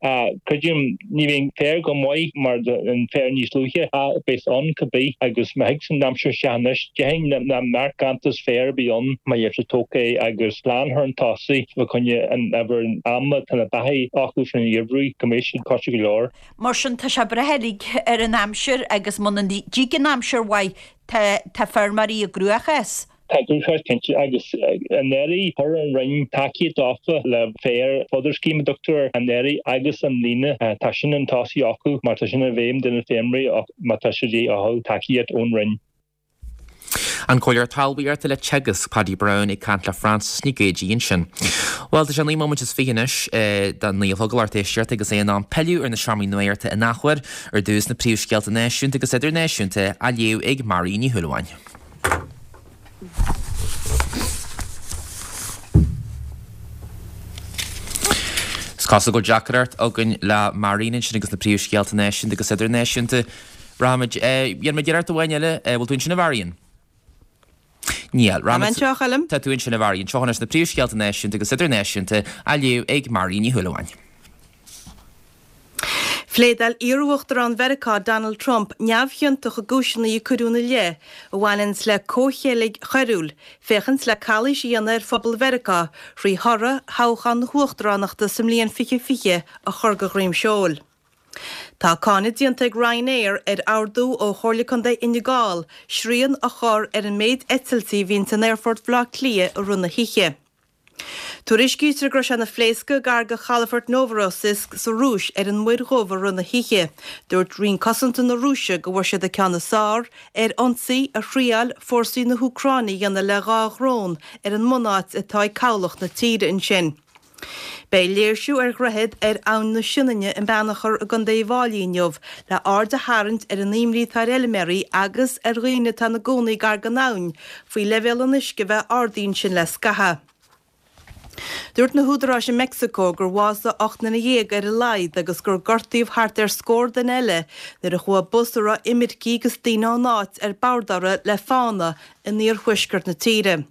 Creidim ní bheidh an féar go maith mar an féar níos luaithe ach beidh ann cibé agus má thig an aimsir isteach anois déarfainn nach mbeadh ganntanas féir ar bith ann má gheibh siad tógtha é agus plean chun tosaigh fá choinne an uimhir ama tá na beathaí acu faoin gheimhreadh go mbeidh siad coite go leor. Mar sin tá sé ag brath uilig ar an aimsir agus muna dtig an aimsir mhaith Tá tá feirmeoirí i gcruachás. Tá i gcruachás cinnte agus anuraidh chuir an Roinn tacaíocht dófa le féar fodder scheme a dtugtar air anuraidh agus i mbliana tá sin chun tosaigh acu mar tá sin i bhfeidhm do na feirmeoirí má tá sé de dhíth orthu tacaíocht ón Roinn. An Comhairleoir Talmhaíochta le Teagasc, Paddy Browne ag caint le Frances Nic Géadaigh ansin. Bhuel, tá sé 9 móimint is 20 anois don 9 a chlog a lucht éisteachta agus é in am pilleadh ar na seomraí nuachta in athuair. Ar dtús na príomhscéalta náisiúnta agus idirnáisiúnta á léamh ag Máirín Ní Shúilleabháin. Is cosúil go bhfuil deacracht againn le Máirín ansin agus na príomhscéalta náisiúnta agus idirnáisiúnta. Rachaimid, dhéanfaimid iarracht amháin eile. Bhfuil tú ansin a Mháirín? Níl. Tá mé anseo, a Choilm. Tá tú ansin a Mháirín. Seo anois na príomhscéalta náisiúnta agus idirnáisiúnta á léamh ag Máirín Ní Shúilleabháin. Phléadáil iarUachtarán Mheiriceá Donald Trump neamhchiontach i gcúiseanna a cuireadh ina leith a bhaineanns le comhcheilg choiriúil féachaint le calaois a dhéanamh ar phobal Mheiriceá thrí thoradh thoghchán na huachtaránachta sa mbliain 2020 a chur de dhroim seoil. Tá cáineadh déanta ag Ryanair ar ordú ó Chomhairle Contae Fhine Gall srian a chur ar an méid eitiltí a bhíonns in Aerfort Bhaile Átha Cliath i rith na hoíche. Tuairiscítear go raibh sé ina phléascadh gar do chalafort Novorossiysk sa Rúis ar an Muir Dhubh i rith na hoíche. Dúirt Roinn Cosanta na Rúise go bhfuair siad an ceann is fearr ar ionsaí a thriáil fórsaí na hÚcráine a dhéanamh le 2 dhrón ar an mbunáit atá ag cabhlach na tíre ansin. Beidh léirsiú ar dhroichead ar Abhainn na Sionainne i mBeannchar i gContae Uíbh Fháilí inniu le aird a tharraingt ar an imní atá ar fheilméaraí agus ar dhaoine atá ina gcónaí gar don abhainn faoi leibhéal an uisce a bheith ardaithe ansin le scaitheamh. Dúirt na húdaráis i Meicsiceo gur bhásaigh 18 nduine ar a laghad agus gur gortaíodh thart ar scór duine eile nuair a chuaigh bus a raibh imircigh agus daoine ón áit ar bord orthu le fána in iarthuaisceart na tíre.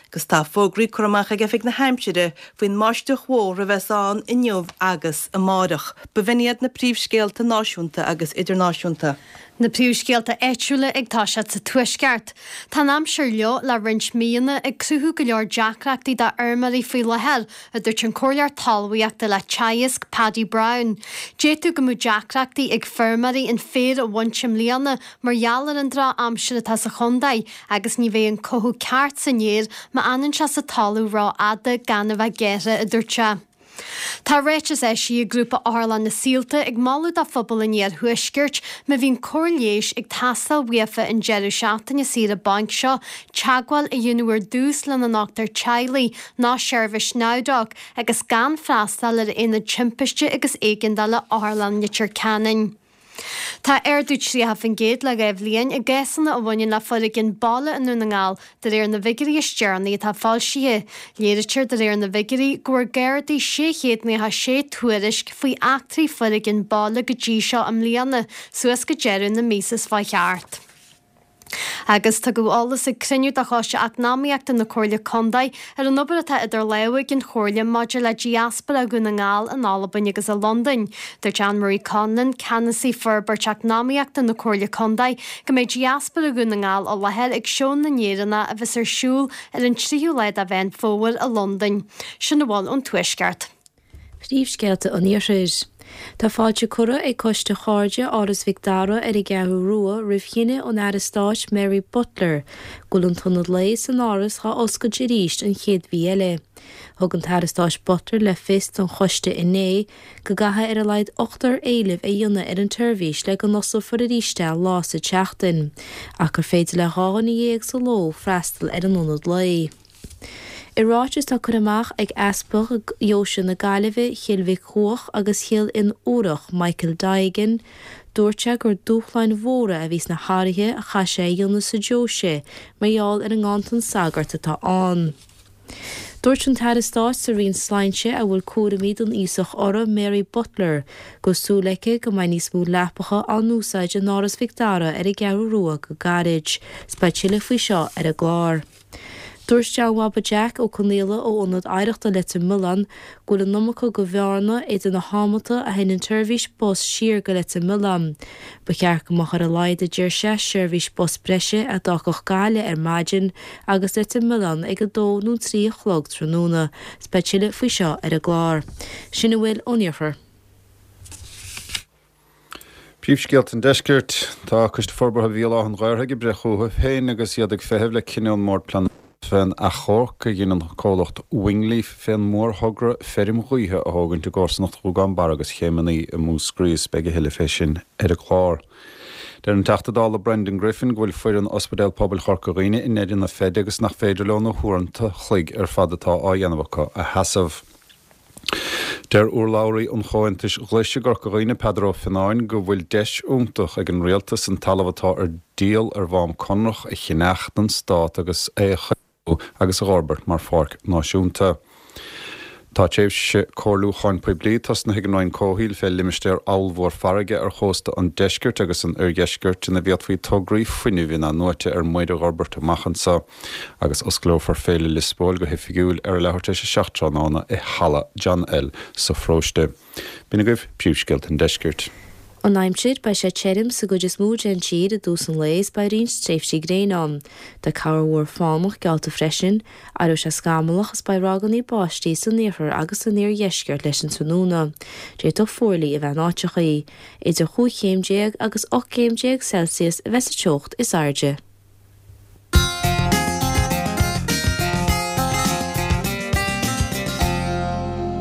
Agus tá fógraí curtha amach ag Oifig na hAimsire faoin mbáisteach mhór a bheas ann inniu agus amáireach. B'in iad na príomhscéalta náisiúnta agus idirnáisiúnta. Na príomhscéalta áitiúla ag toiseacht sa Tuaisceart. Tá an aimsir fhliuch le roinnt míonna ag cruthú go leor deacrachtaí do fheirmeoirí faoi láthair, a dúirt an Comhairleoir Talmhaíochta le Teagasc, Paddy Browne. D'fhéadfadh go mbeadh deacrachtaí ag feirmeoirí an féar a bhaint i mbliana mar gheall ar an droch-aimsir atá sa chontae agus ní bheidh an cothú ceart san fhéar má fhanann sé sa talamh ró-fhada gan a bheith gearrtha, a dúirt sé. Tá ráiteas eisithe ag Grúpa Otharlann na Saolta ag moladh do phobal an iarthuaiscirt má bhíonn cóir leighis ag teastáil uafa an deireadh seachtaine saoire bainc seo teagmháil a dhéanamh ar dtús lena ndochtúir teaghlaigh nó seirbhís NowDoc agus gan freastal ar Aonad Timpiste agus Éigeandála Otharlann Leitir Ceanainn. Tá ardú 30% le 2 bhliain i gcásanna a bhaineann le foréigean baile i nDún na nGall, de réir na bhfigiúirí is deireanaí atá foilsithe. Léirítear de réir na bhfigiúirí go bhfuair Gardaí 696 tuairisc faoi eachtraí foréigean baile go dtí seo i mbliana, suas go deireadh na míosa seo chuaigh thart. Agus tugadh eolas ag cruinniú de Choiste Eacnamaíochta na Comhairle Contae ar an obair atá idir lámha ag an Chomhairle maidir le diaspóra Dhún na nGall in Albain agus i Londain. Dúirt Anne Marie Conlon, Ceannasaí Forbairt Eacnamaíochta na Comhairle Contae, go mbeidh diaspóra Dhún na nGall i láthair ag Seó na nÉireannach a bheas ar siúl ar an 3ú lá de Mheán Fómhair i Londain. Sin a bhfuil ón Tuaisceart. Príomhscéalta an Iarthair. Tá fáilte curtha ag Coiste Chairde Áras Mhic Dara ar an gCeathrú Rua roimh chinneadh an Aire Stáit Mary Butler go bhfuil an t-ionad lae san Áras dhá oscailt arís an chéad mhí eile. Thug an tAire Stáit Butler le fios don choiste inné go gcaithfidh ar a laghad ochtar éileamh a dhéanamh ar an tseirbhís le go n-osclófar arís é lá sa tseachtain ach gur féidir le 12 dhuine sa ló freastal ar an ionad lae. I ráiteas atá curtha amach ag Easpag Dheoise na Gaillimhe, Chill Mhic Cuaich agus Chill Fhionnúrach, Michael Digan, dúirt sé gur dúshláin mhóra a bhí sna hathruithe a chaith sé a dhéanamh sa deoise mar gheall ar an nganntan sagart atá ann. Dúirt an tAire Stáit sa Roinn Sláinte a bhfuil cúraimí don aosach uirthi, Mary Butler, go bhfuil súil aici go mbeidh níos mó leapacha á n-úsáid in Áras Mhic Dara ar an gCeathrú Rua go gairid. 'S beidh tuilleadh faoi seo ar an gclár. Dúirt John Bhaba Jack Ó Conaola ó Ionad Oidhreachta Leitir Mealláin go bhfuil an iomarca go bhearna idir na hamanta a théann an tseirbhís bus siar go Leitir Mealláin. Ba cheart go mbeadh ar a laghad, a deir sé, seirbhís bus breise a d'fhágfadh Gaillimh ar maidin agus Leitir Mealláin ag 2 nó 3 a chlog tráthnóna. 'S beidh tuilleadh faoi seo ar an gclár. Sin a bhfuil ón iarthar. Príomhscéalta an Deiscirt. Tá Coiste Forbartha Bhéal Átha an Ghaorthaidh ag breith chucu féin agus iad ag feitheamh le cinneadh ón mBord Pleanála fén achomharc a dhein an comhlacht Wingleaf fén mórthogra feirm ghaoithe a thógaint i gcomharsanacht Ghuagán Barra agus Chéim an Fhaoi i Múscraí is beidh a thuilleadh fé sin ar an gclár. Deir an Teachta Dála Brendan Griffin go bhfuil foireann Ospidéal Pobail Chorca Dhuibhne i ndeireadh na feide agus nach féidir leo na huaireanta chloig ar fad atá á dhéanamh acu a sheasamh. Deir urlabhraí an Chomhaontais Ghlais i gCorca Dhuibhne, Peadar Ó Fionnáin, go bhfuil deis iontach ag an rialtas an talamh atá ar díol ar Mhám Conrach a cheannach don stát agus é a chaomhnú agus a dh'fhorbairt mar pháirc náisiúnta. Tá tréimhse comhairliúcháin poiblí tosnaithe ag an Roinn Comhshaoil fé limistéar ollmhór farraige ar chósta an deiscirt agus an oirdheiscirt ina bhféadfaí tograí fuinnimh in-athnuaite ar muir a dh'fhorbairt amach anseo. Agus osclófar Féile Liospóil go hoifigiúil ar a leathuair tar éis a 7 tráthnóna i Halla John L sa pharóiste. B'in agaibh príomhscéalta an deiscirt. An aimsir, Beidh sé tirim sa gcuid is mó den tír i dtús an lae is beidh roinnt tréimhsí gréine ann. Tá corrmhúr fánach geallta freisin. Éireoidh sé scamallach is beidh ragannaí báistí san iarthar agus san iardheisceart leis an tráthnóna. D'fhéadfadh fuarlaigh a bheith in áiteachaí. Idir chúig chéim déag agus 18 gcéim Celsius a bheas sa teocht is airde.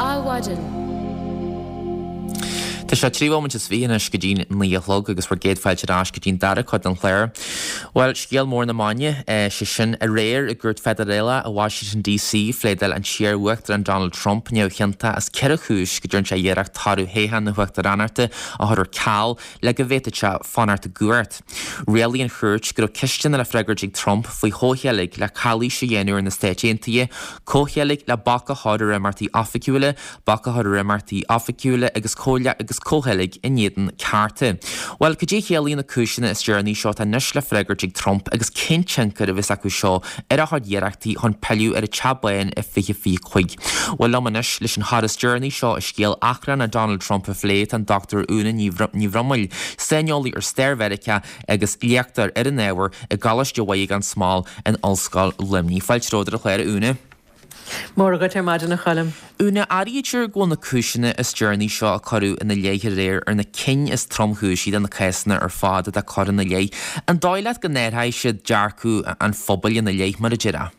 Adhmhaidin. Tá sé 23 bhomaite anois go dtí'n 9 a chlog agus bhur gcéad fáilte ar ais go dtí'n dara cuid den chlár. Bhuel, scéal mór na maidine, sé sin, aréir i gcúirt feidearálach i Washington DC, phléadáil an t-iar-uachtarán Donald Trump neamhchiontach as ceithre chúis go dtearn sé iarracht toradh thoghchán na huachtaránachta a chur ar ceal le go bhféadfadh sé fanacht i gcumhacht. Rialaigh an chúirt go raibh ceisteanna le freagairt ag Trump faoi chomhcheilg le calaois a dhéanamh ar na Stáit Aontaithe, comhcheilg le bac a chur ar imeachtaí oifigiúla, bac a chur ar imeachtaí oifigiúla agus. Comhcheilg in éadan cearta. Bhuel, cad é a chiallaíonn na cúiseanna is deireanaí seo atá anois le freagairt ag Trump agus cén tionchar a bheas acu seo ar a chuid iarrachtaí chun pilleadh ar an Teach Bán i 2025? Bhuel, liom anois leis an chor is deireanaí seo i scéal achrannach Donald Trump a phlé tá an Dr Úna Ní Bhroiméil, saineolaí ar stair Mheiriceá agus léachtóir ar an ábhar i gColáiste Mhuire gan Smál in Ollscoil Luimnigh. Fáilte romhat ar an chlár, a Úna. Móra dhuit ar maidin, a Choilm. Úna, airítear go bhfuil na cúiseanna is deireanaí seo a cuireadh ina leith aréir ar na cinn is tromchúisí de na cásanna ar fad atá curtha ina leith. An dóigh leat go n-athróidh siad dearcadh an phobail ina leith, mar a déarfá?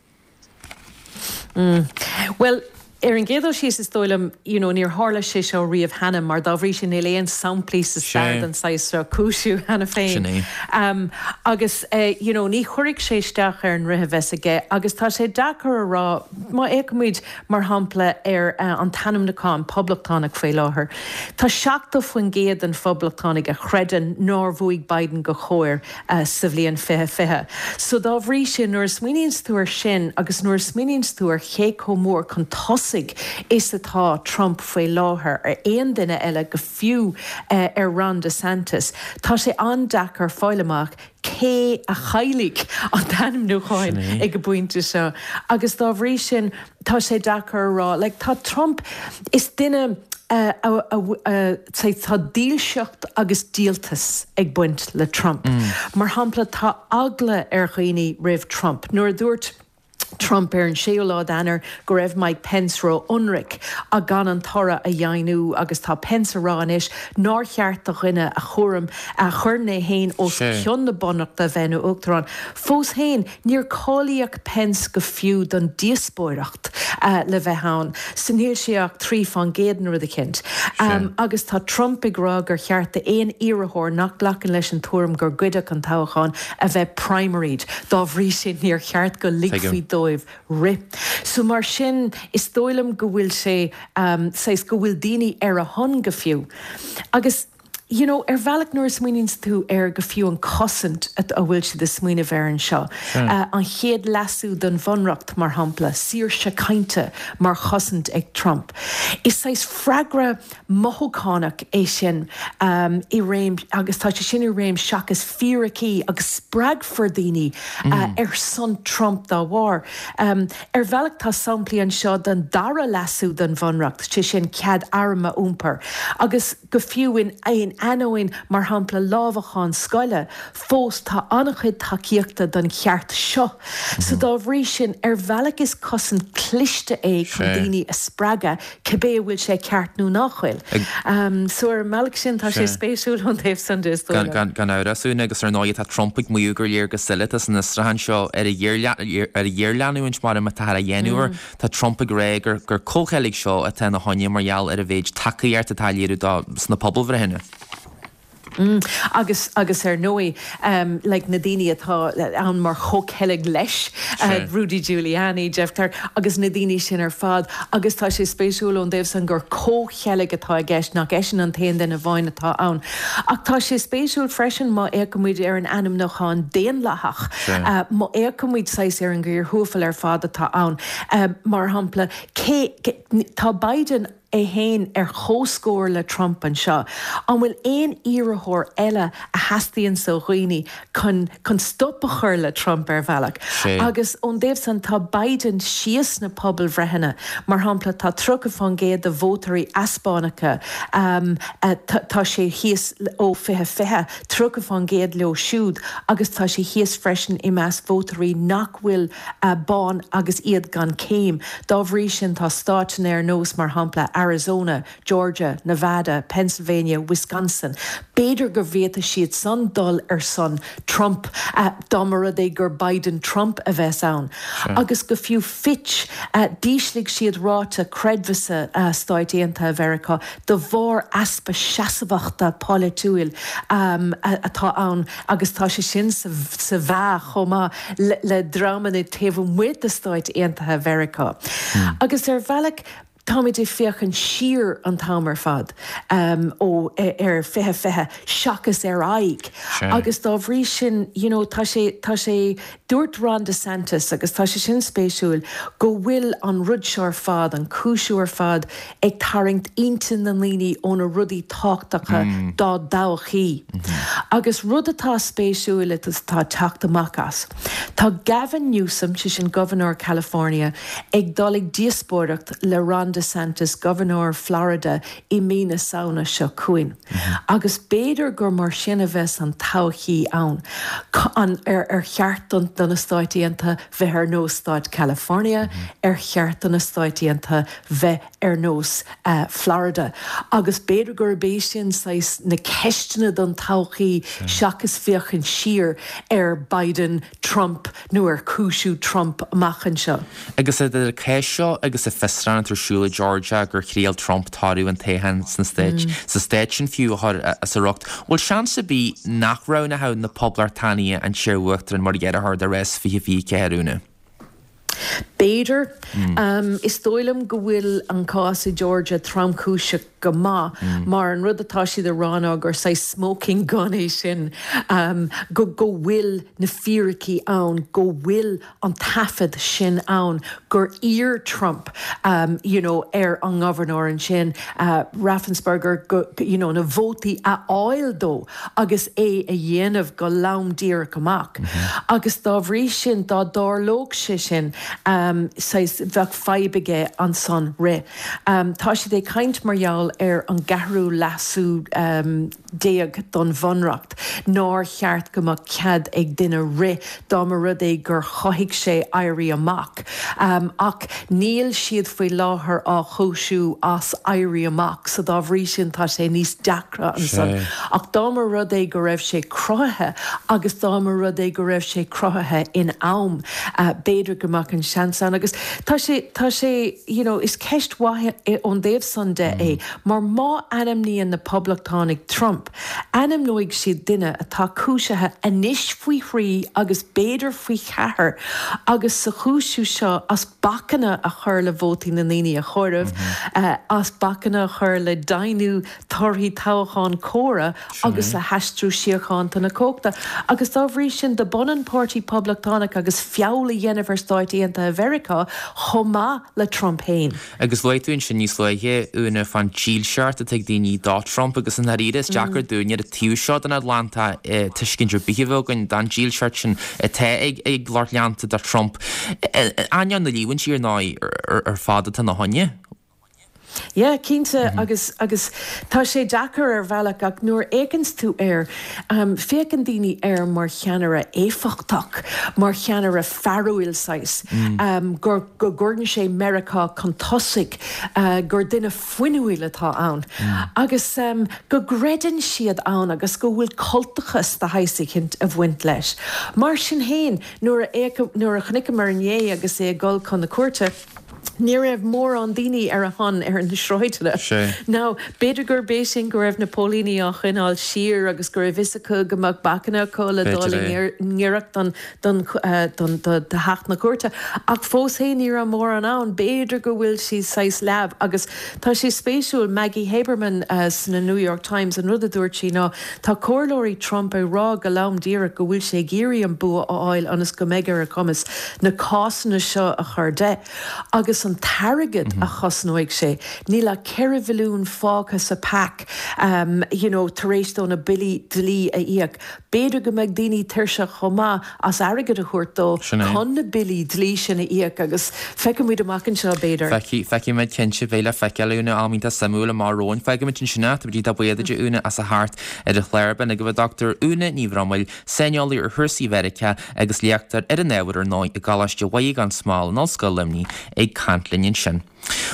Bhuel, ar an gcéad dul síos, is dóigh liom, you know, níor tharla sé seo riamh cheana, mar dá bhrí sin níl aon samplaí sa stair den saghas seo cúisiú cheana féin. Sin é. Agus, you know, ní chuirfidh sé isteach ar an rith a bheas aige agus tá sé deacair a rá, má fhéachaimid, mar shampla, ar an t-ainmniúchán poblachtánach faoi láthair, tá 70% den phoblachtánaigh a chreideann nár bhuaigh Biden go cóir sa bhliain 2020. So dá bhrí sin, nuair a smaoiníonns tú ar sin agus nuair a smaoiníonns tú ar cé chomh mór chun tosaigh is atá Trump faoi láthair ar aon duine eile, go fiú ar Ron DeSantis, tá sé an-deacair fáil amach cé a chaillfidh an t-ainmniúchán ag an bpointe seo. Agus dá bhrí sin, tá sé deacair a rá. Like, tá Trump, is duine a, a, tá dílseacht agus díoltas ag baint le Trump. Mar shampla, tá eagla ar dhaoine roimh Trump. Nuair a dúirt Trump ar an séú lá d'Eanáir go raibh Mike Pence ró-ionraic gan an toradh a dheimhniú agus tá Pence a rá anois nár cheart do dhuine a chúram a chuireann é féin os cionn na bunreachta a bheith ina uachtarán. Fós féin, níor cáilíodh Pence go fiú don díospóireacht le bheith ann, so níl sé ach 3 fán gcéad nó rud eicínt. Agus tá Trump ag rá gur cheart d'aon iarrthóir nach nglacann leis an tuairim gur goideadh an toghchán a bheith primaried, dá bhrí sin níor cheart go ligfí dóibh rith. So mar sin is dóigh liom go bhfuil sé saghas, go bhfuil daoine ar a shon go fiú. Agus you know ar bhealach nuair a smaoiníonns tú ar go fiú an cosaint a bhfuil siad ag smaoineamh air anseo, an chéad leasú don bhunreacht mar shampla, saoirse cainte mar chosaint ag Trump. Is saghas freagra mothúchánach é sin i réim agus tá sé sin i réim seachas fíricí agus spreagfar daoine ar son Trump dá bharr. Ar bhealach tá samplaí anseo den dara leasú don bhunreacht, sé sin cead arm a iompar agus go fiú in ainneoin, mar shampla, lámhacháin scoile, fós tá an-chuid tacaíochta don cheart seo. So dá bhrí sin, ar bhealach is cosaint cliste é chun daoine a spreagadh, cibé an bhfuil sé ceart nó nach bhfuil. So ar an mbealach sin tá sé spéisiúil ón taobh san de, is dóigh liom. Gan amhras, Úna, agus ar ndóigh tá Trump ag maíomh gur léir go soiléir atá san fhiosrúchán seo ar a ghéarleanúint mar atáthar á dhéanamh air. Tá Trump ag rá gur gur comhcheilg seo atá ina choinne mar gheall ar an mhéid tacaíocht atá á léiriú dó sna pobalbhreitheanna. Agus, agus ar ndóigh, like na daoine atá ann mar chomhcheilg leis, Rudy Giuliani, Jeff Clark, agus na daoine sin ar fad. Agus tá sé spéisiúil ón dtaobh san gur comhcheilg atá i gceist, nach eisean an t-aon duine amháin atá ann. Ach tá sé spéisiúil freisin má fhéachaimid ar an ainmniúchán daonlathach, má fhéachaimid saghas ar an gcíor thuathail ar fad atá ann. Mar shampla, cé, tá Biden, é féin ar comhscór le Trump anseo. An bhfuil aon iarrthóir eile a theastaíonns ó dhaoine chun chun stop a chur le Trump ar bhealach? Agus ón dtaobh san tá Biden síos sna pobalbhreitheanna. Mar shampla tá 30 fán gcéad de vótóirí Easpánacha, tá sé thíos ó 2020, 30 fán gcéad leo siúd agus tá sé thíos freisin i measc vótóirí nach bhfuil bán agus iad gan céim. Dá bhrí sin, tá stáiteanna ar nós, mar shampla, Arizona, Georgia, Nevada, Pennsylvania, Wisconsin, b'fhéidir go bhféadfadh siad san dul ar son Trump dá mba rud é gur Biden-Trump a bheas ann. Agus go fiú Fitch, d'ísligh siad ráta creidmheasa Stáit Aontaithe Mheiriceá de bharr easpa seasmhachta polaitiúil atá ann agus tá sé sin sa mheá chomh maith le dreamanna taobh amuigh de Stáit Aontaithe Mheiriceá. Agus ar bhealach. Táimid ag féachaint siar an t-am ar fad ó ar 2020 seachas ar aghaidh agus dá bhrí sin you know tá sé, tá sé, dúirt Ron DeSantis agus tá sé sin spéisiúil go bhfuil an rud seo ar fad, an cúisiú ar fad ag tarraingt intinn na ndaoine ó na rudaí tábhachtacha dá dtodhchaí. Agus rud atá spéisiúil agus atá ag teacht amach as, tá Gavin Newsom, sé sin Gobharnóir California, ag dul ag díospóireacht le Ron DeSantis, Gobharnóir Florida, i mí na Samhna seo chugainn. Agus b'fhéidir gur mar sin a bheas an todhchaí ann. An ar cheart do na Stáit Aontaithe bheith ar nós Stát California? Ar cheart do na Stáit Aontaithe bheith ar nós Florida? Agus b'fhéidir gurb é sin saghas na ceisteanna don todhchaí seachas féachaint siar ar Biden, Trump nó ar chúisiú Trump amach anseo. Agus idir an cás seo agus an fiosrúchán atá ar siúl i Georgia gur thriail Trump toradh an toghcháin sna Stáit, sa stát sin fiú, a chur as a riocht, bhfuil seans ar bith nach roghnódh na Poblachtánaigh an t-iar-uachtarán mar iarrthóir do rás 2024, Úna? B'fhéidir. Is dóigh liom go bhfuil an cás i Georgia tromchúiseach go maith mar an rud atá siad a rá ná gur saghas smoking gun é sin, go go bhfuil na fíricí ann, go bhfuil an taifead sin ann gur iarr Trump you know ar an ngobharnóir ansin, Raffensperger, go you know na vótaí a fháil dó agus é a dhéanamh go lom díreach amach. Agus dá bhrí sin dá dtarlódh sé sin saghas bheadh fadhb aige ansan rith. Tá siad ag caint mar gheall ar an gceathrú leasú déag don Bhunreacht, nár cheart go mbeadh cead ag duine rith dá mba rud é gur chothaigh sé éirí amach. Ach níl siad faoi láthair á chúisiú as éirí amach so dá bhrí sin tá sé níos deacra ansan. Ach dá mba rud é go raibh sé cruthaithe agus dá mba rud é go raibh sé cruthaithe in am, b'fhéidir go mbeadh an seans ann. Agus tá sé, tá sé, you know, is ceist mhaith ón dtaobh san de é, mar má ainmníonn na Poblachtánaigh Trump, ainmneoidh siad duine atá cúisithe anois faoi thrí agus b'fhéidir faoi cheathair agus sa chúisiú seo as bacanna a chur le vótaí na ndaoine a chomhaireamh, as bacanna a chur le deimhniú torthaí toghcháin córa agus le haistriú síochánta na cumhachta. Agus dá bhrí sin, dob ionann Páirtí Poblachtánach agus feall a dhéanamh ar Stáit Aontaithe Mheiriceá chomh maith le Trump féin. Agus luaigh tú ansin níos luaithe, Úna, fán dílseacht atá ag daoine do Trump agus i ndáiríre is deacair dúinne ar an taobh seo den Atlantach tuiscint ar bith a bheith againn don dílseacht sin atá ag lucht leanta do Trump. Ainneoin na líomhaintí ar ndóigh ar fad atá ina choinne. Yeah, cinnte, agus, agus tá sé deacair ar bhealach ach nuair a fhéachanns tú air, féachann daoine air mar cheannaire éifeachtach, mar cheannaire fearúil saghas, gur, go gcuireann sé Meiriceá chun tosaigh, gur duine fuinniúil atá ann agus go gcreideann siad ann agus go bhfuil cultachas de shaghas eicínt ag baint leis. Mar sin féin, nuair a, nuair a chonaiceamar inné agus é ag dul chun na cúirte, Ní raibh mórán daoine ar a shon ar na sráideanna. Now, b'fhéidir gurb é sin go raibh na póilíní á choinneáil siar agus go raibh fhios acu go mbeadh bacanna acu le dul i ngiorracht don don don do theach na cúirte. Ach fós féin ní raibh mórán ann. B'fhéidir go bhfuil siad saghas leamh. Agus tá sé spéisiúil, Maggie Haberman sna New York Times, an rud a dúirt sí ná tá comhairleoirí Trump ag rá go lom díreach go bhfuil sé ag iarraidh an bua a fháil ionas go mbeidh ar a chumas na cásanna seo a chur de. Agus an t-airgead a chosnóidh sé, níl ach 4 bhilliún fágtha sa PAC you know tar éis dó na billí dlí a íoc. B'fhéidir go mbeidh daoine tuirseach chomh maith as airgead a thabhairt dó chun na billí dlí sin a íoc agus feicfimid amach anseo, b'fhéidir. Feicfidh, feicfimid cinnte, beidh le feiceáil, Úna, am iontach suimiúil amach romhainn. Fágfaimid ansin é, táimid iontach buíoch duit, a Úna, as a theacht ar an chlár. B'in agaibh an Dr Úna Ní Bhroiméil, saineolaí ar chúrsaí Mheiriceá agus léachtóir ar an ábhar ar ndóigh i gColáiste Mhuire gan Smál in Ollscoil Luimnigh ag caint linn ansin.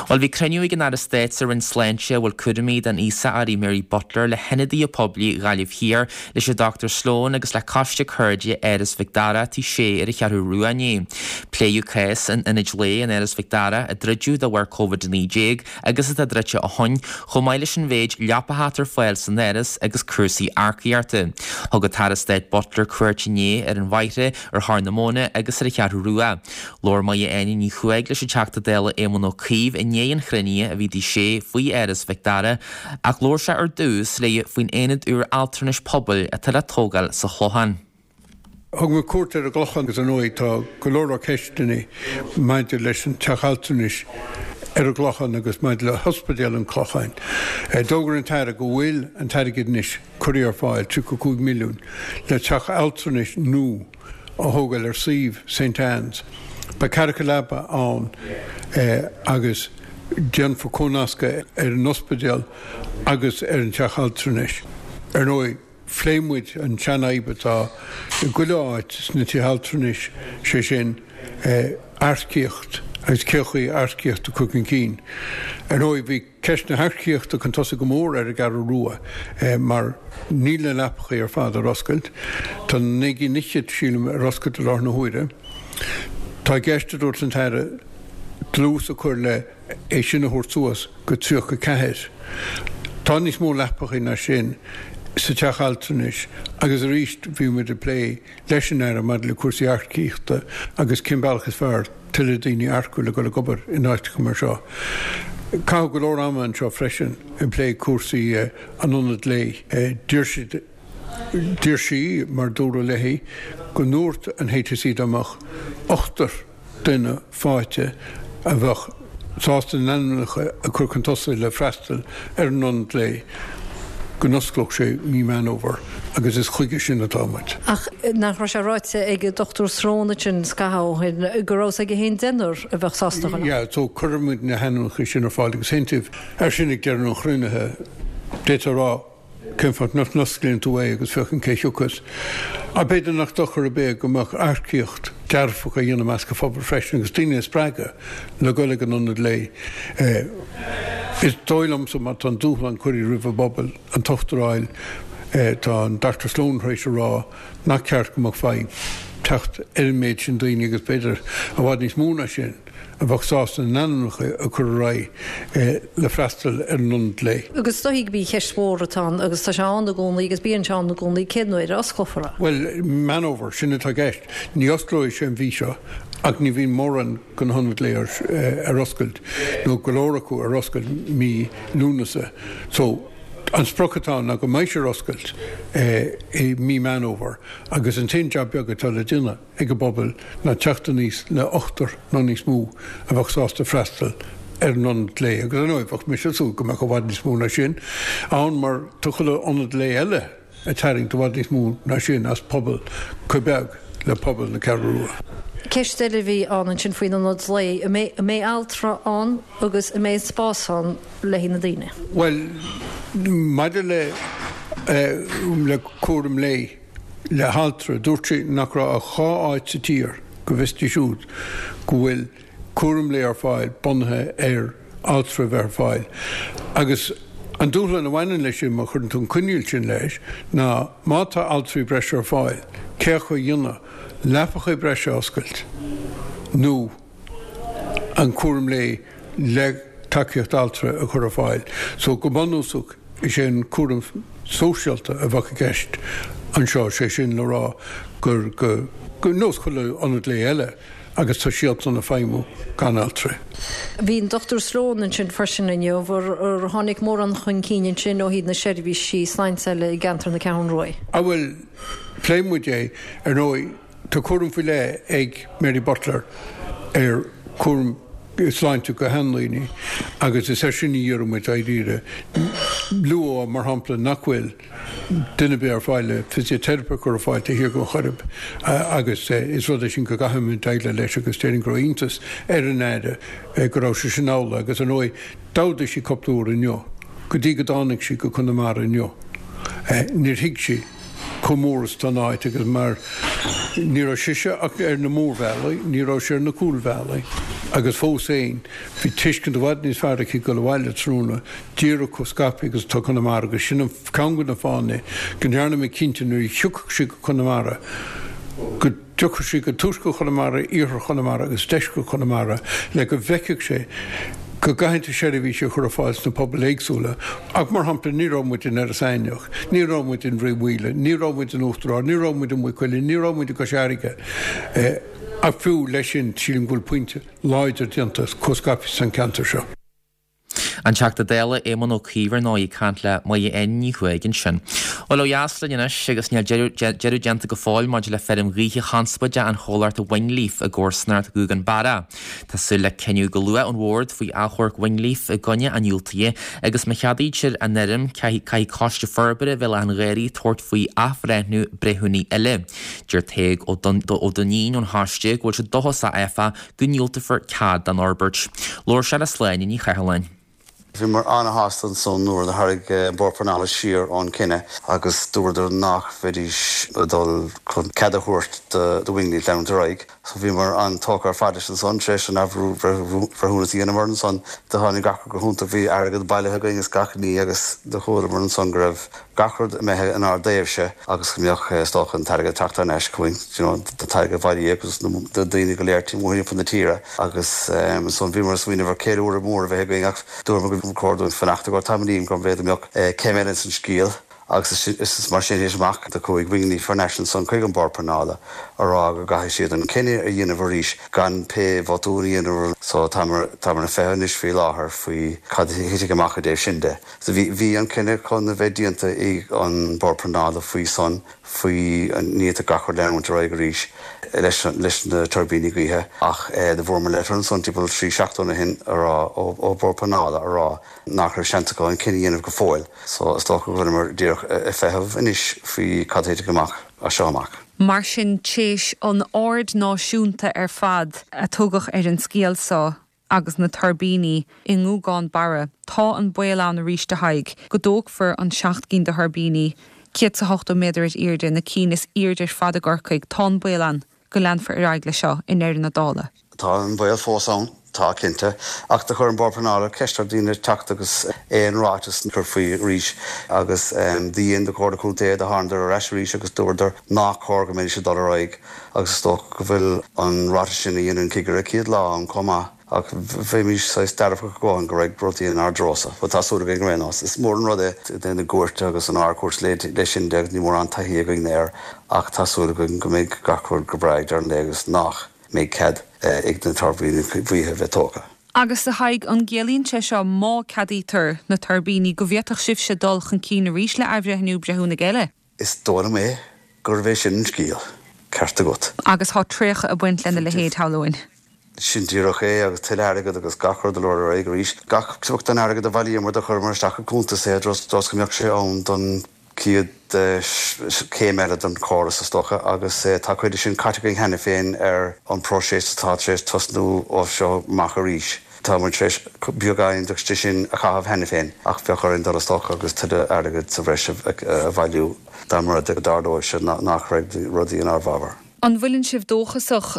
Bhuel, bhí cruinniú ag an Aire Stáit sa Roinn Sláinte a bhfuil cúraimí den aosach uirthi Mary Butler le hionadaithe poiblí Ghaillimh Thiar, leis an Dr Sloane agus le Coiste Cairde Áras Mhic Dara, Tigh Sé ar an Cheathrú Rua inné. Pléadh cás an Ionaid Lae in Áras Mhic Dara a druideadh de bharr Covid-19 agus atá druidte ó shoin, chomh maith leis an mhéid leapacha atá ar fáil san áras agus cúrsaí earcaíochta. Thug an tAire Stáit Butler cuairt inné ar an bhFairche, ar Chorr na Móna agus ar an Cheathrú Rua. Labhair Máire Áine Ní Chuaig leis an Teachta Dála Éamon Ó Cuív. Caomh i ndiaidh an chruinnithe a bhí i dTigh Shé faoi Áras Mhic Dara ach labhair sé ar dtús léi faoin aonad úr altranais pobail atá le tógáil sa Chlochán. Thug mé cuairt ar an gClochán agus ar ndóigh tá go leor leor ceisteanna maidir leis an teach altranais ar an gClochán agus maidir le hOspidéal an Chlocháin. D'fhógair an tAire go bhfuil an t-airgead anois curtha ar fáil, 35 milliún, le teach altranais nua a thógáil ar suíomh Saint Anne's. Beidh ceathracha leapa ann agus déanfar comhnascadh ar an ospidéal agus ar an teach altranais. Ar ndóigh. Phléigh muid an tseanfhadhb atá i gchuile áit sna tithe altranais, sé sin, earcaíocht agus cén chaoi earcaíocht a chur chun cinn. Ar ndóigh, bhí ceist na hearcaíochta chun tosaigh go mór ar an gCeathrú Rua mar níl na leapachaí ar fad ar oscailt. Tá naoi gcinn fhichead, sílim, ar oscailt i láthair na huaire. Tá i gceist, a dúirt an tAire, dlús a chur le é sin a thabhairt suas go 34. Tá níos mó leapachaí ná sin sa teach altranais agus arís bhí muid ag plé leis an Aire maidir le cúrsaí earcaíochta agus cén bealach is fearr tuilleadh daoine a earcú le dul ag obair in áiteacha mar seo. Caitheadh go leor ama anseo freisin ag plé cúrsaí an ionaid lae. Deir siad, deir sí, mar dúradh léi, go ndúirt an HSE dá mbeadh ochtar, duine faighte a bheadh sásta a n-ainmneacha a chur chun tosaigh le freastal ar an ionad lae, go n-osclódh sé mí Meán Fhómhair agus is chuige sin atá muid. Ach nach raibh sé ráite ag Dr Sloane ansin scaitheamh ó shin go raibh 's aige féin deichniúr a bheadh sásta dhul ann? Yeah, so cuirfidh muid na hainmneacha sin ar fáil agus aontaíodh air sin ag deireadh an chruinnithe. D'fhéadfá a rá Cén fáth nach n-osclaíonn tú é agus féachann cé thiocfas? Ach b'fhéidir nach dochar ar bith é go mbeadh earcaíocht dearfach á dhéanamh i measc an phobail freisin agus daoine a spreagadh le dul ag an ionad lae. Is dóigh liomsa má tá an dúshlán curtha roimh an bpobal an t-ochtar a fháil, tá an Dr Sloane tar éis a rá nach ceart go mbeadh fadhb teacht ar an méid sin daoine agus b'fhéidir i bhfad níos mó ná sin. a bheadh sásta a n-ainmneacha a chur ar aghaidh le freastal ar an ionad lae. Agus is dóichí gurb í an cheist mhór atá ann, agus tá sé ann i gcónaí agus bíonn sé ann i gcónaí, cén uair a osclófar é? Bhuel, Meán Fhómhair, sin atá i gceist. Ní osclóidh sé an mhí seo ach ní bhíonn mórán de na hionaid lae ar oscailt, nó go leor acu ar oscailt mí Lúnasa. So, an sprioc atá ann ná go mbeidh sé ar oscailt i mí Meán Fhómhair agus an t-aon jab beag atá le déanamh, ag an bpobal ná teacht aníos le ochtar nó níos mó a bheadh sásta freastal ar an ionad lae agus ar ndóigh bheadh mise ag súil go mbeadh i bhfad níos mó ná sin ann mar tá chuile ionad lae eile ag tarraingt i bhfad níos mó ná sin as pobal chomh beag le pobal na Ceathrú Rua. Ceist eile a bhí ann ansin faoin ionad lae, an mbeidh, an mbeidh altra ann agus an mbeidh spás ann le haghaidh na daoine? Bhuel, maidir le le cúram lae, le haltra. Dúirt sí nach raibh ach 2 áit sa tír, go bhfios di siúd, go bhfuil cúram lae ar fáil bunaithe ar altra a bheith ar fáil. Agus an dúshlán a bhaineann leis sin, má chuireann tú an coinníoll sin leis, ná má tá altraí breise ar fáil, cé acu a dhéanamh, leapacha breise a oscailt nó an cúram lae le tacaíocht altra a chur ar fáil. So go bunúsach is é an cúram sóisialta a bheadh i gceist anseo, sé sin le rá gur go ar nós chuile ionad lae eile agus tá siadsan ag feidhmiú gan altraí. Bhí an Dr Sloane ansin freisin inniu. Ar tháinig mórán chun cinn ansin ó thaobh na seirbhísí sláinte eile i gceantar na Ceathrún Rua? Ah bhuel, phléigh muid é, ar ndóigh. Tá cúram faoi leith ag Mary Butler ar chúram sláinte do sheandaoine agus is air sin a dhírigh muid dáiríre. Luadh, mar shampla, nach bhfuil duine ar bith ar fáil le fisiteiripe a chur ar fáil taobh thiar den Choirib agus is rud é sin go gcaithfimid déileáil leis agus déarfainn go raibh iontas ar an Aire go raibh sé sin amhlaidh agus ar ndóigh d'fhódaigh sí cúpla uair inniu go dtí go dtáinig sí go Conamara inniu níor thuig sí chomh mór is atá an áit agus mar ní raibh sise ach ar na mórbhealaí, ní raibh sí ar na cúlbhealaí agus fós féin bhí tuiscint i bhfad níos fearr aici dul abhaile tráthnóna díreach chomh scaipthe agus atá Conamara agus sin an ceann de na fáthanna go ndearna mé cinnte nuair a thiocfadh sí go Conamara go dtiocfadh sí go tuaisceart Chonamara, iarthar Chonamara agus deisceart Chonamara le go bhfeicfeadh sé go gcaithfidh tú seirbhísí a chur ar fáil sna pobail éagsúla. Ach, mar shampla, ní raibh muid in Iorras Aithneach, ní raibh muid in Bhrí Mhaoile, ní raibh muid in Uachtar Ard, ní raibh muid i Maigh Cuilinn, ní raibh muid i gCois Fharraige. Ach fiú leis sin, sílim go bhfuil pointe láidir déanta chomh scaipthe san ceantar seo. An Teachta Dála Éamon Ó Cuív ar ndóigh ag caint le Máire Áine Ní Chuaig ansin. Bhuel ó dheas linn anois agus níl deireadh déanta go fóill maidir le feirm ghaoithe chonspóideach an chomhlachta Wingleaf i gcomharsanacht Ghuagán Barra. Tá súil le cinneadh go luath ón bhord faoi achomharc Wingleaf i gcoinne an diúltaithe agus má cheadaítear an fheirm caithfidh Coiste Forbartha Bhéal Átha an Ghaorthaidh tabhairt faoi athbhreithniú breithiúnaí eile. Deir Tadhg Ó Duinnín ón choiste go bhfuil sé dóchasach áfach go ndiúltófar cead don fhorbairt. Labhair sé le Sláine Ní Chathalláin. Bhíomar an-shásta ansan nuair a tharraing an Bord Pleanála siar ón cinneadh agus dúradar nach mbeidís ag dul chun cead a thabhairt do Wingleaf leanúint ar aghaidh. So bhíomar an-tógtha ar fad leis ansan. Tar éis an athbhreithiúnas a dhéanamh orainn ansan do tháinig gach rud go hiontach. Bhí airgead bailithe againn is gach ní agus do chualamar ansan go raibh gach rud imithe inár dtaobhse agus go mbeadh, is dócha, an t-airgead ag teacht thar n-ais chugainn, you know, an t-airgead a bailíodh agus na daoine go léir timpeall na tíre agus ansan bhíomar ag smaoineamh ar ceiliúradh mór a bheith againn ach dúramar gur chóir dúinn fanacht i gcomhair tamaillín go mb'fhéidir go mbeadh céim eile ins an scéal agus is mar sin théis amach do chuaigh Wingleaf thar n-ais ansan chuig an Bord Pleanála a rá go gcaithfidh siad an cinneadh a dhéanamh arís gan pé botún a dhéanamh so táimar ag feitheamh anois faoi láthair faoi cad a thitfidh amach i dtaobh sin de. So bhí, bhí an cinneadh chun a bheith déanta ag an Bord Pleanála faoi san, faoi an ní atá gach rud leanúint ar aghaidh arís leis, leis na tuirbíní gaoithe ach do fuaireamar leitir ansan timpeall 3 seachtaine ó shin a rá, ó, ó Bord Pleanála a rá nach raibh seans acu an cinneadh a dhéanamh go fóill. So is dócha go bhfuileamar díreach ag feitheamh anois faoi cad a thitfidh amach as seo amach. Mar sin, t'éis an aird náisiúnta ar fad a tugadh ar an scéal seo, agus na tuirbíní i nGúgán Barra, tá an baol ann arís, a Thaidhg, go dtógfar an 7 gcinn de thuirbíní, 180 méadar ar airde, na cinn is airde ar fad i gCorcaigh, tá an baol ann go leanfar ar aghaidh leis seo i ndeireadh na dála. Tá an baol fós ann, tá, cinnte. Ach do chuir an Bord Pleanála ceist ar daoine teacht agus aon ráiteas a chur faoi arís agus do dhein do Chomhairle Contae, do thánadar ar ais arís agus dúradar nách cóir go mbeidís ag dul ar aghaidh. Agus is dócha go bhfuil an ráiteas sin a dhein an cigire céad lá ann chomh maith, ach bheimis saghas dearfach go dhóthain go raibh rudaí inár dtreosa. Bhuel, tá súil againn ar aon nós. Is mór an rud é i dtaobh na gcúirte agus an Ard-Chúirt leis sin de agus níl mórán taithí againn air ach tá súil againn go mbeidh gach rud go breá ag deireadh an lae agus nach mbeidh cead ag na tuirbíní gaoithe a bheith tógtha. Agus a Thaidhg, an gciallaíonn sé seo, má ceadaítear na tuirbíní, go bhféadfadh sibhse dul chun cinn arís le athbhreithniú breithiúnaigh eile? Is dóigh liom é gurbh é sin an scéal. Ceart agat. Agus thá traochadh ag baint lena leithéid, shamhlóinn. Sin díreach é, agus tuilleadh airgead agus gach rud a lorg ar aghaidh arís. Gach pioc den airgead a bhailíomar do chuireamar isteach i gcuntas é, dós go mbeadh sé ann don chéad chéim eile den chóras, is dócha, agus tá cuid de sin caite againn cheana féin ar an bpróiseas atá tar éis tosnú ó seo amach arís. Tá muid tar éis beagáinín de sin a chaitheamh cheana féin ach bheadh orainn dul is dócha agus tuilleadh airgid sa bhreis a bhailiú dá mba rud é go dtarlódh sé nach raibh rudaí inár bhfabhar. An bhfuileann sibh dóchasach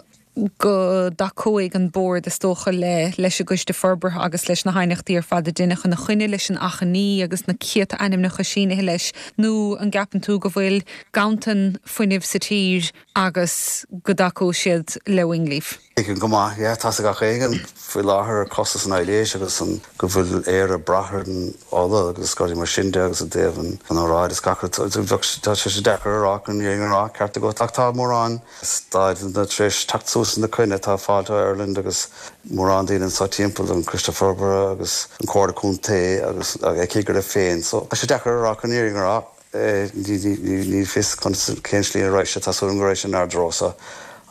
go dtacóidh an Bord, is dócha, le leis an gCoiste Forbartha agus leis na haighneachtaí ar fad a deineadh ina choinne, leis an achainí agus na céadta ainmneacha sínithe leis, nó an gceapann tú go bhfuil ganntan fuinnimh sa tír agus go dtacóidh siad le Wingleaf? Tuigim go maith, yeah, tá's ag gach éinne faoi láthair ar costas an aibhléis agus an go bhfuil Éire ag brath ar an ola agus rudaí mar sin de agus i dtaobh an an aeráid is gach rud, tá sé deacair a rá chun an fhírinne a rá, ceart agat, ach tá mórán stáideanna tar éis teacht suas ina coinne, tá Fáilte Ireland agus mórán daoine anseo timpeall, an Coiste Forbartha agus an Comhairle Contae agus a cigire féin, so tá sé deacair a rá chun an fhírinne a rá. Ní fios conas, cén slí a raghaidh sé, tá súil agam go raghaidh sé inár dtreo-sa,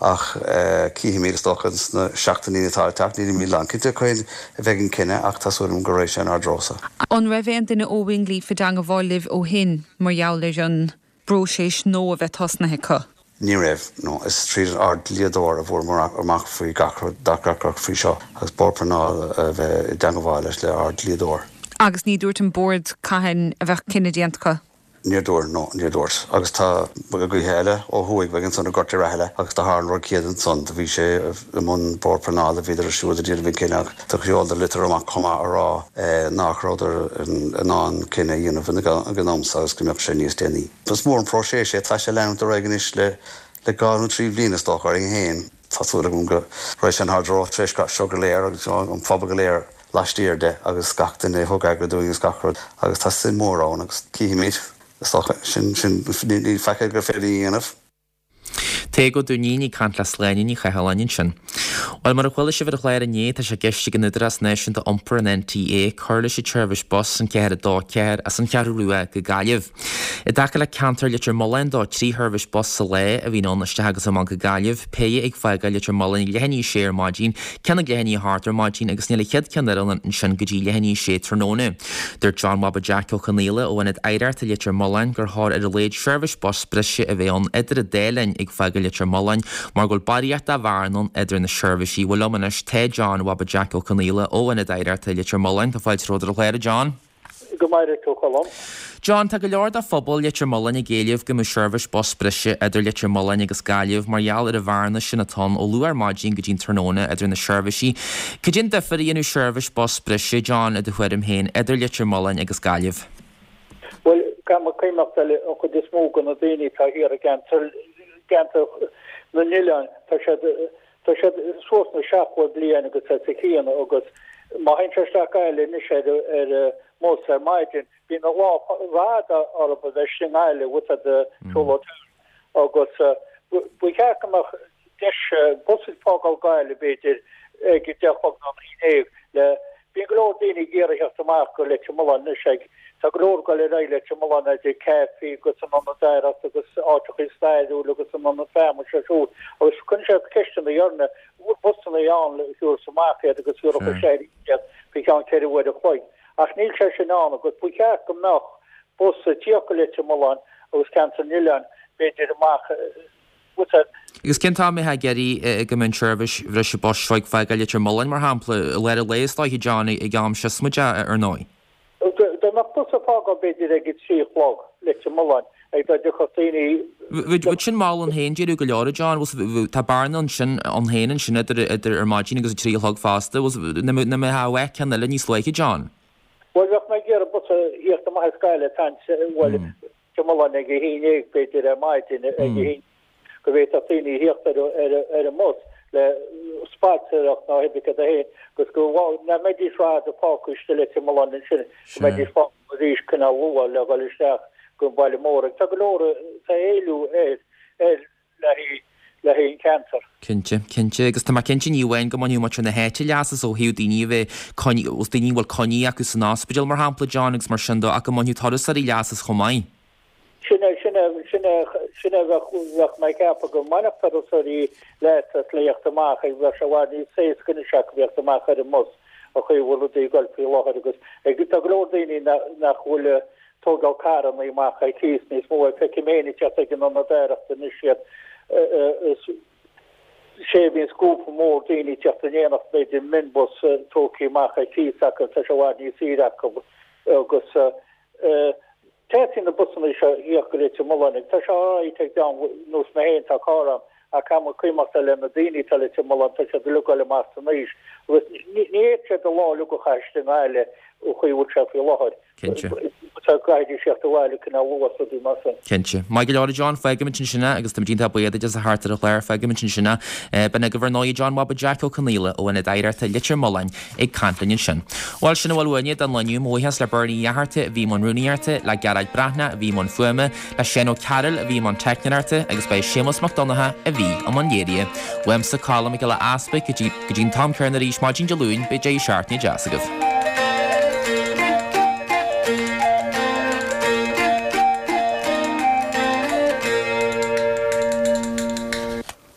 ach cífimid, is dócha, sna seachtainí atá le teacht. Nílimid lánchinnte cathain a bheidh an cinneadh ach tá súil agam go raghaidh sé inár dtreo-sa. An raibh aon duine ó Wingleaf i dteangabháil libh ó shin mar gheall ar an bpróiseas nua a bheith tosnaithe acu? Ní raibh, no. Is tríd ár dlíodóir a fuaireamar amach faoi gach rud, gach rud faoi seo agus Bord Pleanála a bheith i dteangabháil leis le ár dlíodóir. Agus ní dúirt an Bord cathain a bheadh cinneadh déanta acu? Níor dúirt, no, níor dúirt. Agus tá gaoithe eile ó thuaidh uainn ansan i nGort a' Rathaille agus do tharla an rud céanna ansan. Do bhí sé i mbun Bord Pleanála, bhíodar siúd ag déanamh an cinneadh ach do sheoladar litir amach chomh maith a rá nach rabhadar in ann cinneadh a dhéanamh ag an am so agus go mbeadh sé níos déanaí. Is mór an próiseas é. Tá sé ag leanúint ar aghaidh anois le le dhá nó trí bhliain is dócha orainn féin. Tá súil agam go raghaidh sé inár dtreo tar éis seo go léir agus an phobal go léir laistiar de agus gach duine a thug airgead dúinn agus gach rud agus tá suim mhór ann agus cífimid is dócha. Sin, sin, níl faic eile gur féidir a dhéanamh. Tadhg Ó Duinnín ag caint le Sláine Ní Chathalláin ansin. Bhuel, mar a chuala sibh ar an chlár inné, tá sé i gceist ag an Údarás Náisiúnta Iompair, an NTA, cur leis an tseirbhís bus, an 4 2 4, as an Cheathrú Rua go Gaillimh. I dtaca le ceantar Leitir Mealláin dó, 3 sheirbhís bus sa lá a bhíonn ann isteach agus amach go Gaillimh, péire ag fágáil Leitir Mealláin ag leath i ndiaidh a sé ar maidin, ceann ag leath i ndiaidh a hocht ar maidin agus níl an chéad ceann eile ansin go dtí leath i ndiaidh a sé tráthnóna. Dúirt John Bhaba Jeaic Ó Conaola ó Ionad Oidhreachta Leitir Mealláin gur chóir ar a laghad seirbhís bus breise a bheith ann idir an dá linn ag fágáil Leitir Mealláin mar go bhfuil barraíocht de bhearna ann idir na seirbhísí. Bhuel liom anois tá John Bhaba Jeaic Ó Conaola ó Ionad Oidhreachta Leitir Mealláin. Tá fáilte romhat ar an chlár, a John. Go maire tú, a Cholm. John, tá go leor de phobal Leitir Mealláin ag éileamh go mbeadh seirbhís bus breise idir Leitir Mealláin agus Gaillimh mar gheall ar an bhearna sin atá ann ó luath ar maidin go dtí an tráthnóna idir na seirbhísí. Cad é an difear a dhéanfadh seirbhís bus breise, John, i do thuairim féin, idir Leitir Mealláin agus Gaillimh? Bhuel, caithfidh mé cuimhneachtáil an chuid is mó de na daoine atá thiar i gceantar, gceantar na n-oileán, tá siad, Tá siad suas na 70 bliain agus os a chionn agus má théann sé isteach Gaillimh anois ar ar an mbus ar maidin bíonn an lá rófhada orthu a bheith istigh i nGaillimh bhfuil a fhios a'd siúlóid agus ba cheart go mbeadh deis bus ag fágáil Gaillimh b'fhéidir ag a deich a chlog nó a haon déag le Bíonn go leor daoine ag iarraidh theacht amach go Leitir Mealláin anois ag tá go leor ag dul ar aghaidh Leitir Mealláin idir caifí agus an ionad oidhreachta agus áiteachaí stairiúil agus an ionad feamainne seo siúd agus cuireann siad ceisteanna orainne an bhfuil busanna ann le thabhairt amach iad agus thabharfadh sé iad faoi cheann ceithre uair a chloig ach níl sé sin ann agus ba cheart go mbeadh bus ag tíocht go Leitir Mealláin agus ceantar na n-oileán b'fhéidir amach Agus cén t-am a mbeifeá ag iarraidh go mbeadh an tseirbhís bhreise bus seo ag fágáil Leitir Mealláin, mar shampla, i lár an lae is dóiche, John, ag am siosmaideach, ar ndóigh? Dá mbeadh bus ag fágáil b'fhéidir ag a trí a chlog, Leitir Mealláin, ag dá dtiocfadh daoine. Bheadh sin mall ann féin, déarfá go leor, a John. Tá bearna ansin ann féin ansin idir ar maidin agus a trí a chlog fosta. Nach mbeadh ceann eile níos luaithe, John? Bhuel, bheadh mé ag iarraidh bus a thíocht amach as Gaillimh, bhuel, Leitir Mealláin ag a haon dhéag, b'fhéidir, ar maidin, ag a haon, go bhféadfadh daoine a thíocht ar an mbus le spaltaireacht ná hibicad a haon agus go nach mbeidís rófhada fágtha istigh i Leitir Mealláin ansin, go mbeidís fágtha arís cineál luath le dhul isteach go an baile mór. Agus tá go leor, tá éileamh air, ar. le haghaidh an ceantar. Cinnte, cinnte. Agus tá mé cinnte ní amháin go mbainfeadh muintir na háite leas as ó thaobh daoine a bheith coinní, os daoine a bhfuil coinní acu san ospidéal mar shampla, John, agus mar sin dó, ach go mbainfeadh turasóirí leas as chomh maith. Sin é, sin é, sin é, sin é bheadh, bheadh mé ag ceapadh go mbainfeadh turasóirí leas as le theacht amach, ag bheadh sé i bhfad níos éasca anois acu theacht amach ar an mbus an chaoi a bhfuil rudaí ag dul faoi láthair agus ag, tá go leor daoine nach, nach bhfuil, tógáil carranna amach ar cíos níos mó. Feicim féin ag teacht ag an Ionad Oidhreachta anois iad is sé bhíonn grúpa mór daoine ag teacht in éineacht, b'fhéidir minibus tógtha amach ar cíos acu, tá sé i bhfad níos saoire acu agus teastaíonn na busanna seo a thíocht go Leitir Mealláin agus tá sé alright ag dream nós mé féin, tá carr a'm ach caithfidh muid cuimhneachtáil ar na daoine atá i Leitir Mealláin, tá siad uilig ag dul amach san aois agus ní fhéadfaidh siad an lá uilig a chaitheamh istigh i nGaillimh an chaoi a bhfuil sé faoi láthair. Cinnte. Caithfidh siad teacht abhaile cineál luath is rudaí mar sin. Cinnte. Maith go leor a John, fágfaimid ansin é agus táimid iontach buíoch duit as a theacht ar an chlár, fágfaimid ansin é. B'in agaibh ar ndóigh John Bhaba Jeaic Ó Conaola ó Ionad Oidhreachta Leitir Mealláin ag caint linn ansin. Bhuel, sin a bhfuil uainne don lá inniu. Mo bhuíochas le Bernie Ó Fhátharta a bhí i mbun rúnaíochta, le Gearóid Breathnach a bhí i mbun fuaime, le Seán Ó Cearúil a bhí i mbun teicneoireachta agus ba é Séamus Mac Donncha a bhí i mbun léirithe. Uaimse Colm Mac Giolla Easpaig go dtí go dtí an t-am céanna arís maidin Dé Luain, beidh deireadh seachtaine deas agaibh.